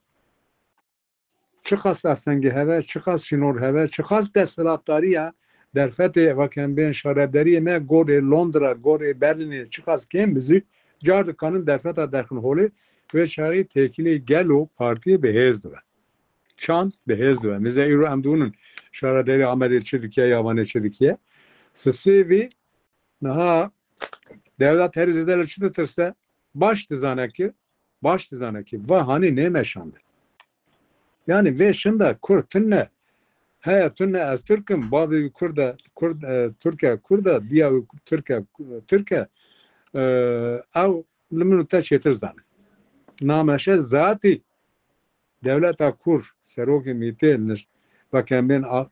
çiqas astengî heve, çiqas sînor heve, çiqas desthilatdariya derfetê wek em bên şaredariyê me gorê Londra, gorê Berlînê çiqas kêm bizî, car dikanin derfeta derxin holê, wê çaxî têkilî gel û partiyê bi hêz dibe. Çand bi hêz dibe. Mize îro em dûnin şaredarî Amedê çi dikiye ya Vanê çi dikiye. Sisê vî niha dewlet herî zêde li çi ditirse? Baş dizane ki, baş dizane ki va hanî nêmeşandin. Yani vê şinda Kurd tune, heye tune ez Türk im, bavê wî Kurd e, Kurd, e, Türk e, Kurd e, diya wî Türk e, Türk e, e, ew li min û te çêtir zane. Nameşe zatî dewleta Kurd serokê mîtê niş, weke bên a-,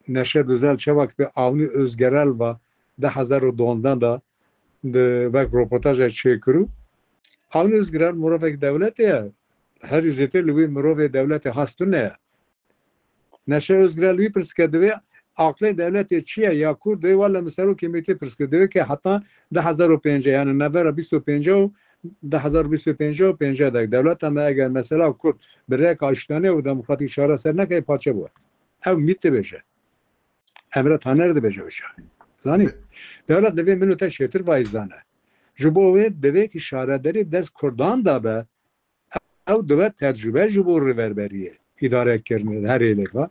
Neşe Duzel çawa ki Avni Özgerel va di hezar û dozdan da di wek roportaja çêkirû. Avni Özgerel mirovek dewletê ye. Herî zêtir li wî mirovê dewletê has tune ye. Neşe Özgerel wî pirsike divê aqlê dewletê çi ye ya Kurd divê wele min serokê mîtê pirsike divê ke heta di hezar û pêncî yani navbera bîst û pêncî û di hezar bîst û pêncî û pêncî de dewleta me eger mesela Kurd bi rêka iştane û demokratîk çareser neke parçe bû. Ew mît dibêje. Emre Taner dibêje wisa. Zanî? Dewlet divê min û te çêtir vayî zane. Ji bo wê divê ki şaredarî dest Kurdan de be, ew dibe tecrube ji bo rêverberiyê, îdarekirinê her êlê ve.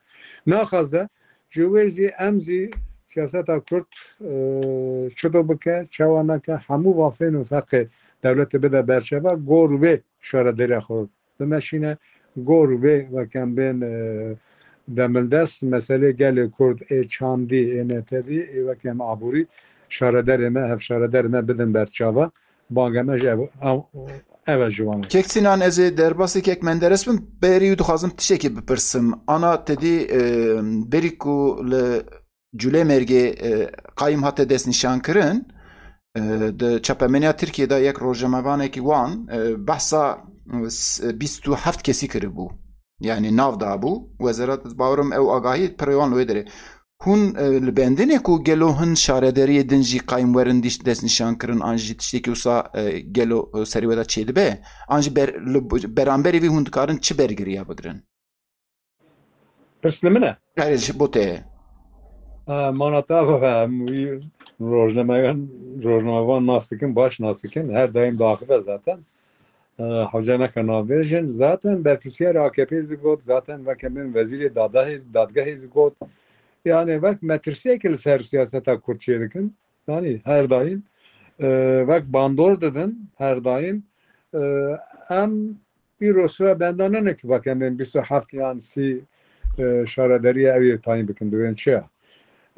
Naxwaze ji wê zî em zî siyaseta Kurd, e, çito bike, çawa neke, hemû vafên û feqê dewletê bide berçava, gor wê şaredariya xwe bimeşîne, gor wê weke em bên, e, demildest meselê gelê Kurd ê çandî, ê netewî, ê weke em aborî şaredarê me, hevşaredarê me bidin berçava. Banga me ji ev, ev, ev e ji wan. Kek Sinan, ez ê derbasê Kek Menderes bim, berî wî dixwazim tiştekî bipirsim. Ana te dî, e, berî ku li Culêmêrgê, e, qayim hate destnîşankirin, e, di çapemeniya Tirkiyê de yek rojnamevanekî wan, e, behsa, e, s-, bîst û heft kesî kiribû. Yani nav dabû. Wezaret, ez bawerim ew agahî pirê wan li wê derê. Hûn, e, li bendinê ku gelo hin şaredariyê din jî qayim werin dîş-, destnîşankirin an jî tiştekî wisa, e, gelo, e, serê we de çêdibe? An jî ber-, li b-, beramberî vî hûn dikarin çi bergiriya bigirin? Pirs li min e? Erê, ji bo te ye. E, mana te ava em wî rojnamevan, rojnamevan nas dikin, baş nas dikin. Her daim diaxive zaten. E, hewce neke navbêjin. Zaten berpirsiyarê A K P zî got, zaten weke min wezîrê dadahê, dadgehê zî got. Yani wek metirsiyekê li ser siyaseta Kurd çêdikin. Yani her daim, e, wek bandor didin, her daim, e, em îro sura benda nene ki weke min bîst û heft yan sî, e, şaredariya ew yê tayîn bikin, divên çi ya.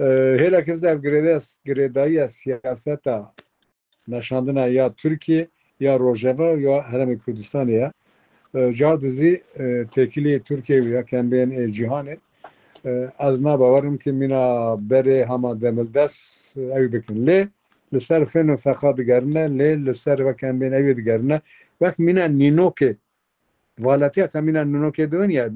E, hêlek ez de ev girêde-, girêdayiya siyaseta meşandina ya Tirkiye, ya Rojava, ya Herêmê Kurdistanê ye. E, car dizî, e, têkilî Tirkiye û ya kembên ê cîhanê. E, ez nabawerim ki mîna berê hema demildest, e, ew bikin. Lê li ser fên û feqa digerine, lê li ser weke em bên ew yê digerine. Wek mîna nînokê, valetiya ke mîna nînokê diwin ya,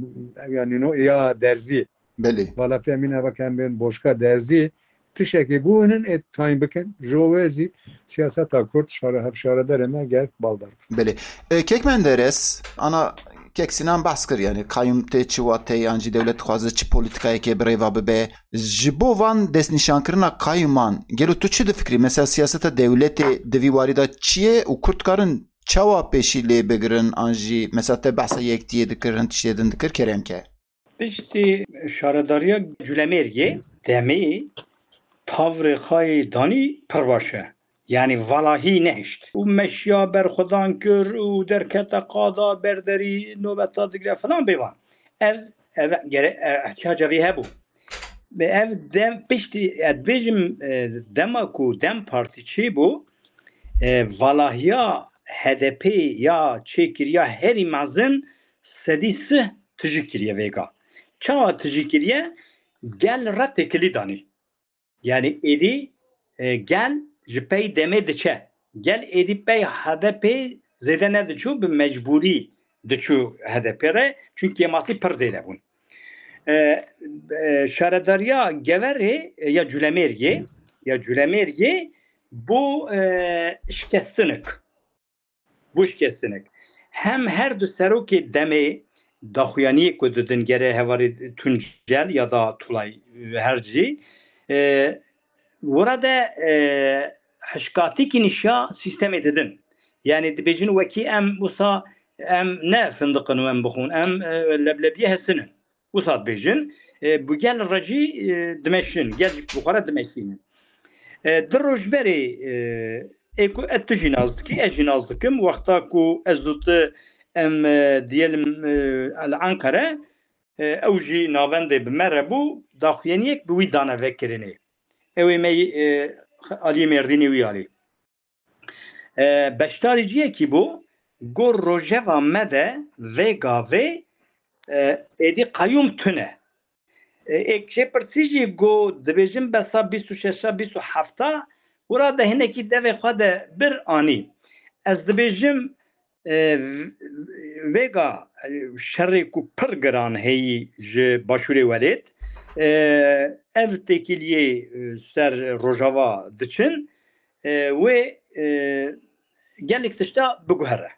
ew ya nîno ya derzî. Belê. Valetiya mîna weke em bên boşka derzî, tiştekê bûnin ê tayîn bikin. Ji bo wê zî siyaseta Kurd şare-, hevşaredarê me gerek baldar. Belê. E, Kek Menderes, ana Kek Sinan behs kir, yani qayim tê çi wateyê, yan jî dewlet dixwaze çi polîtikayekê bi rê ve bibe. Ji bo van destnîşankirina qayûman, gelo tu çi difikirî? Mesela siyaseta dewletê di vî warî de çi ye û Kurd karin çawa pêşî lê bigirin? An jî mesela te behsa yektiyê dikir, hin tiştê din dikir, kerem ke. Piştî şaredariya Culemêrgê demê tavrê xwe yê danî pir baş e. Yani valahî nehişt. Û meşiya berxwedan kir û derkete qada berderî nobeta digre filan bêvan. Ev, ev gere-, e, ihtiyaca vê hebû. Ve ev dem piştî, ez dibêjim, e, dema ku DEM Partî çêbû, e, valahiya H D P ya çêkiriya herî mezin sedî sih tijî kiriye vêga. Çawa tijî kiriye? Gel re têkilî danî. Yani êdî, e, gel ji pey demê diçe. Gel êdî pey H D P zêde nediçû, bi mecbûrî diçû H D P re. Çünkü cemaatî pir zêde bûn. E, e, şaredariya Geverê, e, ya Culemêrgê, ya Culemêrgê bû, e, şikestinik. Bû şikestinek. Hem her du serokê demê daxuyaniyê ku didin gere hevalê Tuncel ya da Tulay, e, her cî, e, wira de, e, hişkatîkî nîşa sîstemê didin. Yani dibêjin wekî em wisa em ne findiqin û em bixwin, em, e, leblebiyê hesinin. Wisa dibêjin, e, bi gel re jî, e, dimeşin, gel jî bi xwe re dimeşînin. E, di roj berê, e, ê ku et tu jî nas dikî, ez jî nas dikim, wexta ku ez û tu em, e, diyelim, e, li Ankara, e, ew jî navendê bi me re bû, daxuyaniyek bi wî dane vekirinê. Ew ê me, e, aliyê Mêrdînê wî alî. E, beşdarî ciyekî bû, got rojeva me de vê gavê E, êdî qeyûm tune. E, êk jê pirsî jî got, dibêjin besa bîst û şeşa, bîst û hefta, wira de hinekî devê xwe de bir anî. Ez dibêjim, e, vêga, e, şerê ku pir giran heyî ji Başûrê Welêt, e, ev têkiliyê, e, ser Rojava diçin, e, wê, e, gelek tişta biguhere.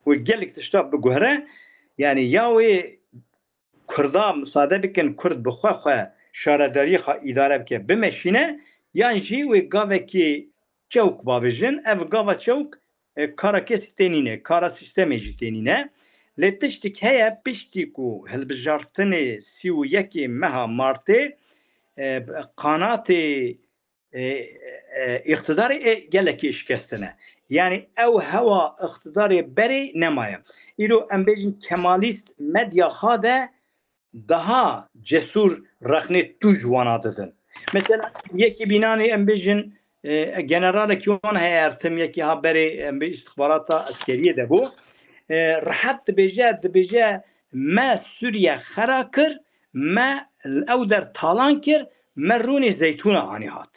Wê gelek tişta biguhere. Yani ya wê Kurda misade bikin, Kurd bi xwe xwe şaredariyê xwe îdare bike, bimeşîne, yan jî wê gavekî çewk bavêjin. Ev gava çewk, e, kara kesî tê nîne, kara sîstemê jî tê nîne. Lê tiştik heye, piştî ku hilbijartinê sî û yekê meha Martê, e, qanatê e, e, îqtidarê ê gelekî şikestine. Yani ew hewa îqtidarê berê nemaye. Îro em bêjin Kemalîst medya xwe de daha cesûr rexnê tûj wana didin. Mesela yekî bînanê em bêjin, e, generalekî wan heye Ertim, yekî ha berê em bê îstixbarata eskeriyê de bû. E, rehet dibêje, dibêje me Sûriye xera kir, me ew der talan kir, me rûnê zeytûna anî hat.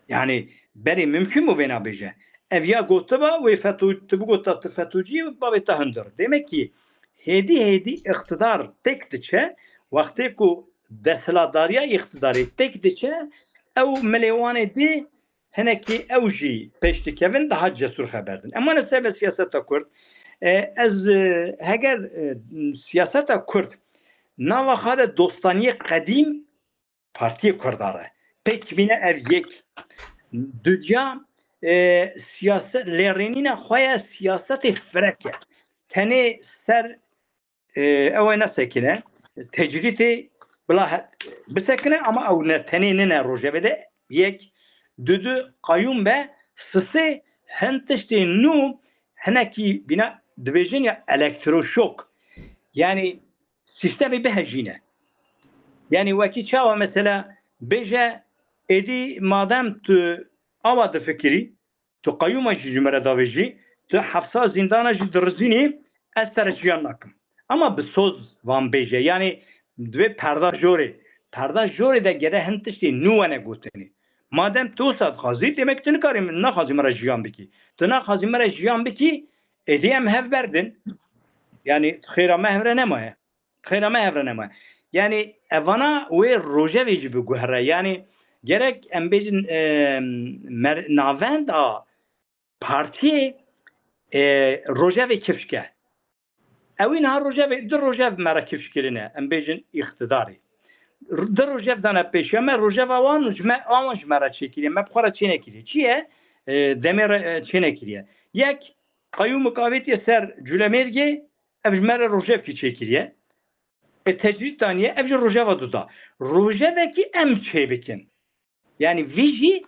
Yani berê mimkun bû vêna bêje. Ev ya gotiba wê feto-, tu bigota tu fetocî, bavê te hundir. Demek ki hêdî hêdî îqtidar têk diçe, wextê ku desthilatdariya îqtidarê têk diçe, ew milê wan ê dê hinekî ew jî pêş dikevin, daha cesûr xeber din. Em wane ser siyaseta Kurd. E, ez, e, heger, e, siyaseta Kurd nava xwe de dostaniyê qedîm Partiyê Kurda re. Pêk bîne ev yek. Dudiya, e, siyase-, lêrênîna xwe ya siyasetê firek e. Tenê ser, e, ew ê nesekine, tecrîtê bila he-, bisekine ama ew ne, tenê nine rojevê de yek, dudu qayûm be, sisê hin tiştê nû hinekî bîna dibêjin ya elektroşok. Yani sîstemê bihejîne. Yani wekî çawa mesela bêje, êdî madem tu awa difikirî, tu qeyûma jî ji me re davêjî, tu hefsa zîndana jî dirizînî, ez te re jiyan nakim. Ama bi soz van bêje. Yani divê perda jorê. Perda jorê de gere hin tiştê nû wene gotinê. Madem tu wisa dixwazî, demek tu nikarî, naxwazî me re jiyan bikî. Tu naxwazî me re jiyan bikî, êdî em hev berdin. Yani xêra me hev re nemaye. Xêra me hev re nemaye. Yani evana wê rojevê jî biguhere. Yani gerek em bêjin, e, mer-, navenda partiyê, e, rojevê kifşke. Ewî niha rojevê, du rojev me re kifş kirine, em bêjin îqtidarê. Du rojev dane pêşiya me, rojeva wan û ji me, wan ji me re çêkiriye, me bi xwe re çênekiriye. Çi ye? E, demê re, e, çênekiriye. Yek, qeyûmik avêtiye ser Culemêrgê, ev ji me re rojevkî çêkiriye. E, tecrîd daniye, ev jî rojeva duda. Rojevekî em çêbikin. Yani vî jî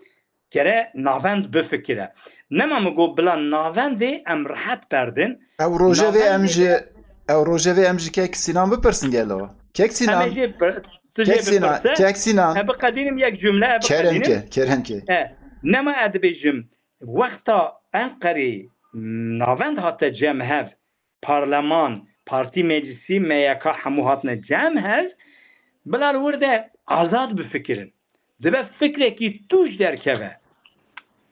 gere navend bifikire. Nema min got bila navendê em rehet berdin. Ew rojevê em Navendê ji, de ew rojevê em ji Kek Sinan bipirsin gelo. Kek Em ê Sinan, jê pir-, tu jê Kek Sinan, bipirse. Kek Sinan. E, biqedînim yek cümle, e, biqedînim. Kerem ke, kerem ke. E, nema ez dibêjim, wexta Enqerê navend hate cem hev, parleman, partî, meclisî, M Y K hemû hatine cem hev, bila li wir de azad bifikirin. Dibe fikrekî tûj derkeve.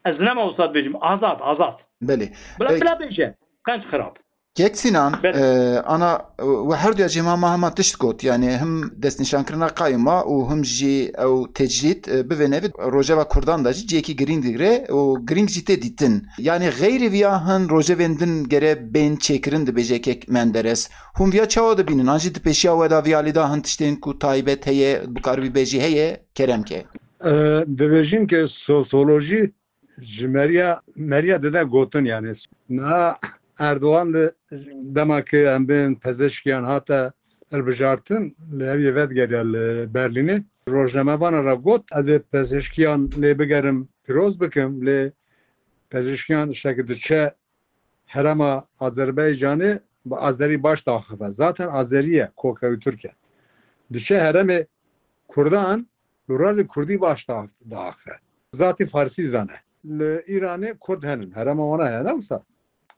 Ez nema wisa dibêjim, azad, azad. Belê. Bila, Peki. bila bêje, qenc xirab. Kek Sinan, Belê. e, ana, e, we her duya cî hema, hema tişt got, yani him destnîşankirina qayûma û him jî ew tecrîd, e, bi vê nevî rojeva Kurdan de jî cihekî girîng digire û girîng jî tê dîtin. Yani xeyrê viya hin rojevên din gere bên çêkirin dibêje Kek Menderes. Hûn viya çawa dibînin? An jî di pêşiya we de viya lê da hin tiştên ku taybet heye, bikaribî bêjî heye, kerem ke. E, dibêjin ke sosyolojî ji meriya, meriya dide gotin yani. Niha Erdogan li dema ki em bên pezişkiyan hate hilbijartin, li heviyê vedigeriya li Berlînê. Rojnamevanan re got, ez ê pezişkiyan lê bigerim pîroz bikim, lê pezişkiyan şek diçe herema Azerbaycanê bi Azerî baş daxife. Zaten Azerî ye, kokewî Tirk e. Diçe heremê Kurdan, li ralê Kurdî baş da-, daxe. Zatî Farsî zane. Li Îranê Kurd henin. Herema wana heye, ne wisa?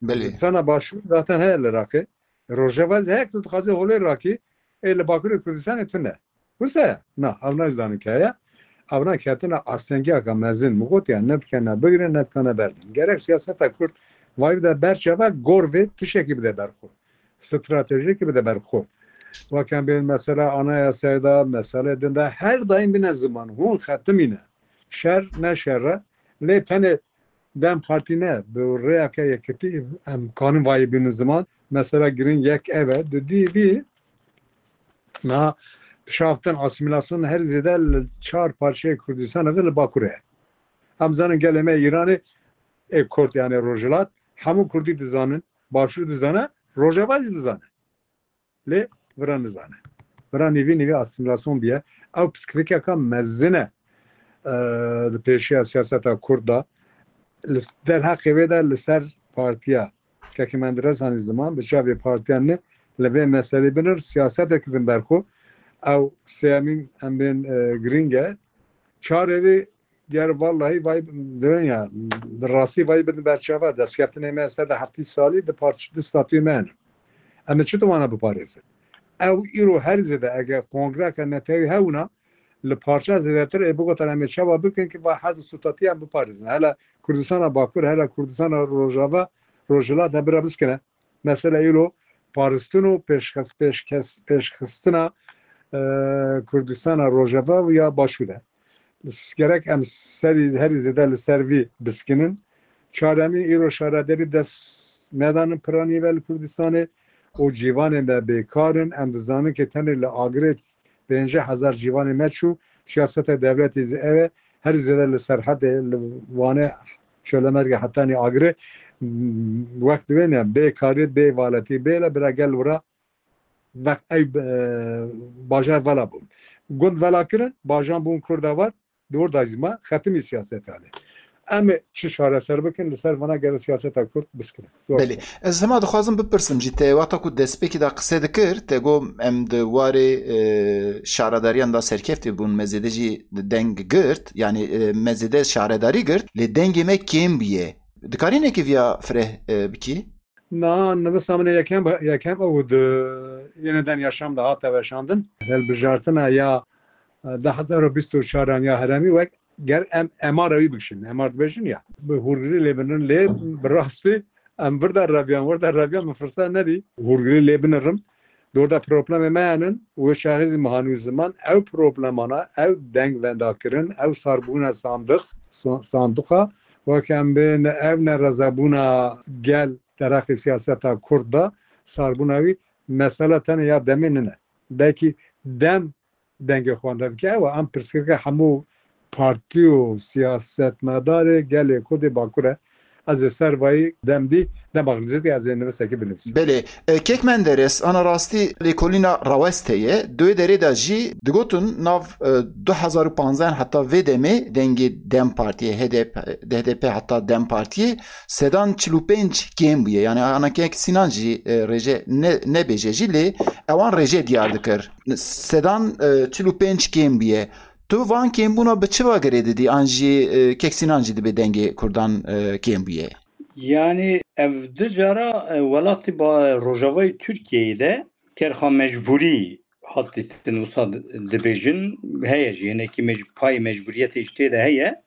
Belê. Sana başûr zaten heye li Iraqê. Rojava jî hek tu dixwazî holê rakî, ê li Bakurê Kurdistanê tune. Wisa ye? Na, ew ne ji danik heye. Ew ne ketine astengiyeke mezin. Min gotiye, ne dikene bigire, ne dikene berdin. Gerek siyaseta Kurd vay bide ber çava, gor vê tiştekî bide ber xwe. Stratejiyekî bide ber xwe. Weke bên mesela anayasayê de, meselê din de her daîm bine ziman. Hûn xetimîne. Şer ne şer e. Lê tenê DEM Partî ne, bi rêyeke yekitî em kanin vayî bînin ziman. Mesela giring yek ev e, dudî vî, niha dişaftin asîmîlasyon her zêde li çar parçeyê Kurdistanê ve li Bakurê ye. Em zanin gelê me Îranê, ê Kurd, yani Rojhilat, hemû Kurdî dizanin, Başûr dizane, Rojava jî dizane. Lê vira nizane. Vira nîvî nîvî asîmîlasyon biye. Ew pirsgirêkeka mezin e, e, di pêşiya siyaseta Kurd de. Li derheqê wê de li ser partiya Kekê Menderes anî ziman, bi çavê partiyan ne, li vê meselê binir, siyasetek din ber xwe. Ew sêyemîn em bên, e, girîng e. Çarê wê ger vallahi vay, dirin ya, bi rastî vay bidin ber çava, destkeftine me ser de heftî salî di parç-, di statûyê me hene. Em ê çi wana biparêzin? Ew îro her zêde eger kongreke netewî hebûna, li parça zêdetir ê bigotin em ê çawa bikin ki va hez û statûyê em biparêzin. Hele Kurdistana Bakur, hele Kurdistana Rojava, Rojhilat hebira biskine. Mesela îro paristin û pêşxes-, pêşkes-, pêşxistina, e, Kurdistana Rojava û ya Başûr e. Gerek em serî, herî zêde li ser vî biskinin. Çaremîn, îro şaredarî dest nedanin piranî ve li Kurdistanê û cîvanê me bêkar in. Em dizanin ki tenê li Agirê pêncî hezar cîvanê me çû. Siyaseta dewletê zî ev e. Herî zêde li Serhedê, li Wanê, Çolemergê hetanî Agirê, m, wek divê ne, bê karî, bê valetî, bê le bira gel wira veq ey, e, bajar vala bûn. Gund vala kirin, bajan bûn Kurda var, di wir de jî ma xetimî siyaseta lê. Em ê çi çareser bikin, li ser vana gere siyaseta Kurd biskirin. Zor Belê. Sor. Ez hema dixwazim bipirsim jî, te wexta ku destpêkî de qise dikir, te got em di warê, e, şaredariyan de serkeftî bûn, me zêde jî deng girt, yanî, e, me zêde şaredarî girt, lê dengê me kêm bûye. Dikarî nekî viya fireh, e, bikî? Na, nivisa min ê yekem, yekem ew di Yeniden Yaşam de hate weşandin. Hilbijartina ya, e, du hezar û bîst û çaran ya heremî wek ger em emara wî bikişin, emar dibêjin ya. Bi hûrgilî lê binirin lê bi rastî em vir de reviyan, wir de reviyan min firset nedî hûrgilî lê binirim. Di wir de problemê me henin, wê çaxê zî min hanî ziman, ew problemana, ew deng vendakirin, ew sarbûna sandiq, sa-, sanduqa, wek em bên ev nerezebûna gel derheqê siyaseta Kurd de sarbûna wî mesela tenê ya demê nine. Belkî dem dengê xwe wenda bike, ew e, em pirsgirêka hemû partî û siyasetmedarê gelê Kurdê Bakur e. Ez ê ser vayî dem dî, dema xilzîtî ez ê nivisekî binivîsim. Belê. E, Kek Menderes, ana rastî lêkolîna rawest heye. Di wê derê de jî digotin nav, e, du hezar û panzdeh heta vê demê dengê dem Partiyê, H D P, H D P heta dem Partiyê sedan çil û pênc kêm bûye. Yani ana Kek Sinan jî, e, rêje ne, nebêje jî lê ewan rêje diyar dikir. Sedan, e, çil û pênc kêm bûye. Tu van kêmbûna bi çi ve girê didî? An jî, e, Kek Sinan jî dibê dengê Kurdan, e, kêm bûye? Yani ev du cara, e, welatê ba-, Rojavayê Tirkiyeyê de kerxa mecbûrî hat dîtin, wisa dibêjin, heye jî, hinekî mec-, payê mecbûriyetê jî tê de heye.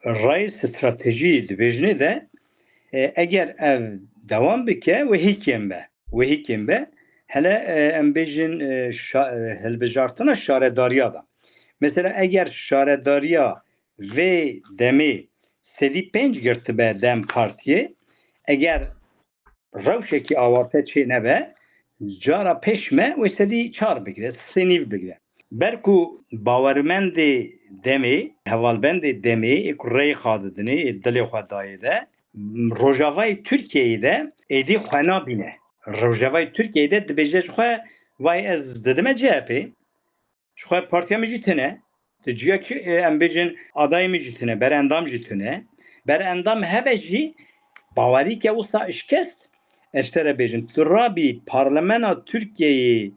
Rayê stratejî dibêjinê de, e, eger ev dewam bike, wê hî kêm be. Wê hî kêm be. Hele, e, em bêjin, e, şa-, e, hilbijartina şaredariya de. Mesela eger şaredariya vê demê sedî pênc girtibe dem Partiyê, eger rewşekî awarte çê nebe, cara pêş me wê sedî çar bigire, sê nîv bigire. Ber ku bawermendê demê, hevalbendê demê, ê ku rêyê xwe didinê, ê dilê xwe dayê de, Rojavayê Tirkiyeyê de êdî xwe nabîne. Rojavayê Tirkiyeyê de dibêje ji xwe, vay ez didime C H P, ji xwe partiya min jî tune, di ciyekî, e, em bêjin adayê min jî tune, berendam jî tune. Berendam hebe jî bawerî ke wisa şikest, ez ji te re bêjim, tu rabî parlemena Tirkiyeyê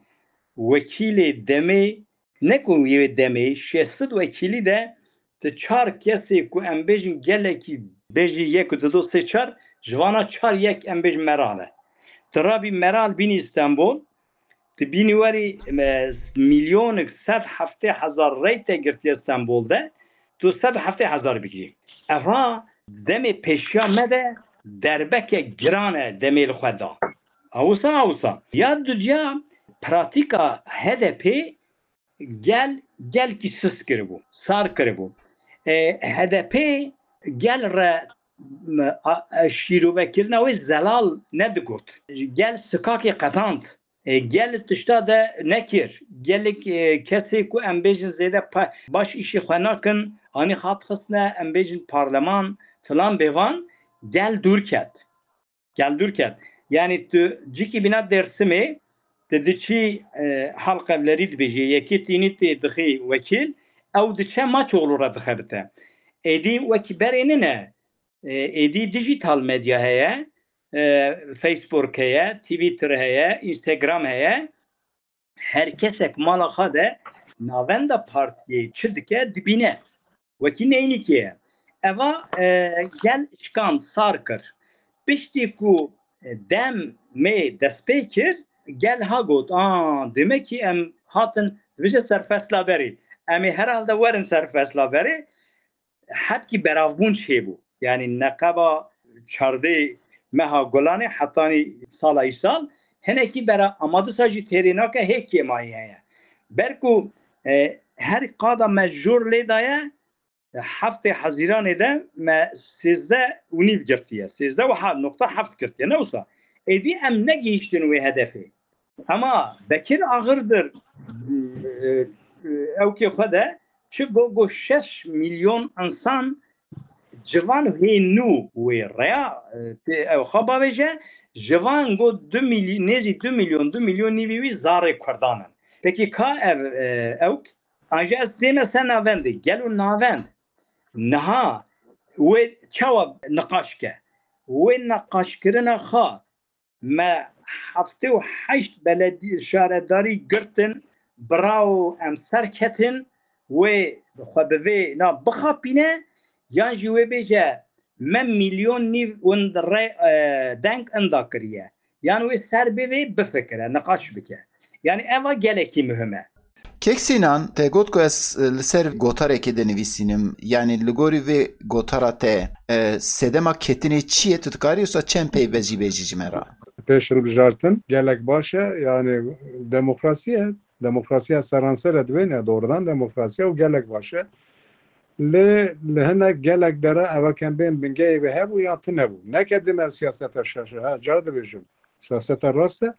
wekîlê demê, ne ku yê demê, şêst sed wekîlî de tu çar kesê ku em bêjin gelekî bêjî yek û du, du, sê, çar, ji vana çar yek em bêjin meral e. Tu rabî Meral bînî Stenbol, tu bînî werî, e, milyonek sed heftê hezar rey te girtiye Stenbol de, tu sed heftê hezar bigirî. Eva demê pêşiya me de derbeke giran e demê li xwe da. Awisa, awisa. Ya dudiya pratîka H D P gel, gelkî sist kiribû, sar kiribû. E, H D P gel re, m, a, e, şîrovekirina wê zelal nedigot. Gel sikakê qetand. E, gel tişta de nekir. Gelek, e, kesê ku em bêjin zêde pa-, baş îşê xwe nakin, anî hat xistine, em bêjin parleman, filan bêvan, gel dûr ket. Gel dûr ket. Yanî tu cikî bîna Dêrsimê, tu diçî, e, halqevlerî dibêjî, yekê tînî tê dixî wekîl, ew diçe Maçoğlu re dixebite. Êdî wekî berê nine, e, êdî dijital medya heye, e, Facebook heye, Twitter heye, Instagram heye. Her kesek mala xwe de navenda partiyê çi dike dibîne. Wekî neynikê ye. Eva, e, gel şikand, sar kir. Piştî ku, e, dem mê destpê kir, gel ha got, a, demek ki em hatin, dibêje ser fesla berê. Em ê herhalde werin ser fesla berê. Hetkî beravbûn çêbû. Yanî neqeba çardê meha Gulanê hetanî sala îsal hinekî bera, ama disa jî têrê nake, hê kêmayî heye. Ber ku, e, her qada me jor lê daye, e, heftê Hezîranê de me sêzdeh û nîv girtiye. Sêzdeh û heft nokta heft girtiye. Ne wisa. Êdî em negihîştin wê hedefê. Ema Bekir Ağırdır, e, e, ewkê xwe de çi got, got şeş milyon insan civan hê nû wê reya, e, tê ew xwe bavêje, civan got du milyon, nêzî du milyon, du milyon nîvî wî zarê Kurdan in. Pekî ka ev, e, ewk? An jî ez tême ser navendê, gelo navend niha wê çawa niqaş ke? Wê niqaşkirina xwe me heftê û heşt beledî-, şaredarî girtin, birawo em serketin, wê xwe bi vê na bixapîne, yan jî wê bêje, me milyon nîv win re, e, deng inda kiriye. Yan wê ser bê vê bifikire, niqaş bike. Yanî eva gelekî muhim e. Kek Sînan, te got ku ez, e, li ser gotarekê dinivîsînim. Yanî li gorî vê gotara te, e, sedema ketinê çi ye? Tu dikarî wisa çend peyvê jî bêjî ji me re? Pêş hilbijartin gelek baş e. Yanî demokrasî ye. Demokrasiya seranser e, dibêne doğrudan demokrasiya û gelek baş e. Lê li hinek gelek dere eva kem bên bingehê wê hebû ya tune bû. Neke dime siyaseta şaşe, ha, cara dibêjim. Siyaseta rast e.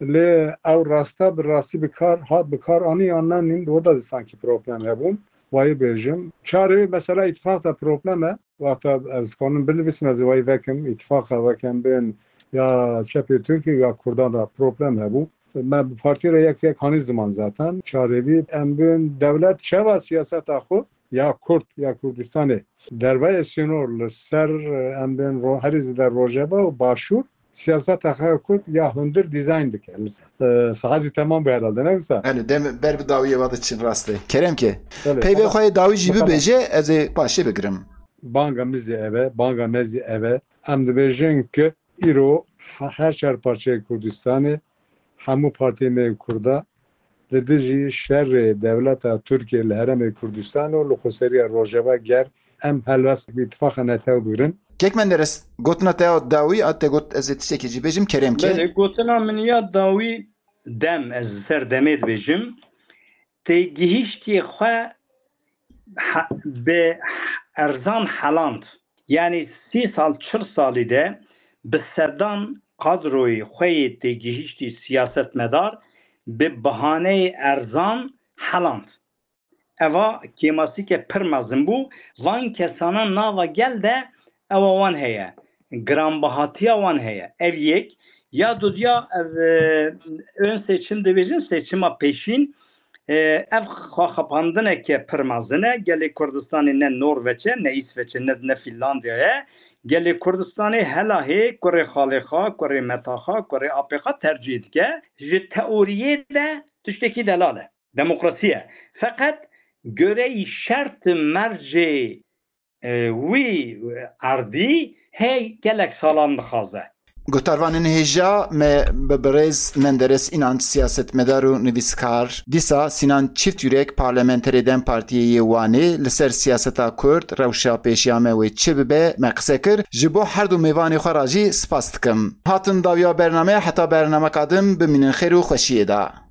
Lê ew rasta bi rastî bi kar hat, bi kar anî yan nanîn, orada da sanki problem hebûn. Wayî bêjim. Çarê mesela îtifaq da problem e. Wexta ez dikanim binivîsim, ez ê wayî vekim. Îtifaqa vekem bên ya çepê Tirkî ya Kurdan da problem hebû. Me bi partî re yek yek hanî ziman zaten. Çarê bî em bên dewlet çewa siyaseta xwe ya Kurd ya Kurdistanê dervayê sînor li ser, em bên ro-, herî zêde rojeva û başûr siyaseta xwe ya Kurd ya hundir dîzayn dike. E, saet jî temam bû herhalde, ne wisa? Belê, dem ber bi dawiyê ve diçin, rast e. Kerem ke. Belê, Peyvê tamam. Xwe yê dawî jî Bakalım. Bibêje, ez ê paşê bigirim. Banga min zî ev e, banga me zî ev e. Em dibêjin ki îro he-, her çar parçeyê Kurdistanê hemû partiyê me yê Kurda li dijî şerê dewleta Tirkiyê li herêmê Kurdistanê û li xweseriya Rojava ger em helwest bi îtifaqa netew bigirin. Kek Menderes, gotina te ya dawî a te got ez ê tiştekî jî bêjim, kerem ke. Belê, gotina min ya dawî dem, ez li ser demê dibêjim. Têgihiştê xwe he-, bi erzan heland. Yanî sî sal, çil salî de bi sedan kadroyê xwe yê têgihiştî siyasetmedar bi bahaneyê erzan heland. Eva kêmasîke pir mezin bû. Van kesana nava gel de ewa wan heye. Giranbahatiya wan heye. Ev yek. Ya dudiya ev, e, ön seçim dibêjin, seçima pêşîn. E, ev xwexapandineke pir mezin e. Gelê Kurdistanê ne Norveç e, ne Îsveç e, ne, ne Fînlandya ye. Gelê Kurdistanê hela hê kurê xalê xwe, kurê meta xwe, kurê apê xwe tercîh dike. Ji teoriyê de tiştekî delal e. Demokrasî ye. Feqet goreyî şert mercê, e, wî erdî hê gelek salan dixwaze. Guhdarvanên hêja me bi birêz Menderes Înanç, siyasetmedar û nivîskar, dîsa Sînan Çîftyurek, parlamenterê dem Partiyê yê Wanê, li ser siyaseta Kurd, rewşa pêşiya me wê çi bibe, me qise kir. Ji bo her du mêvanê xwe re jî spas dikim. Hatin dawiya bernameyê, heta bernameka din bimînin xêr û xweşiyê de.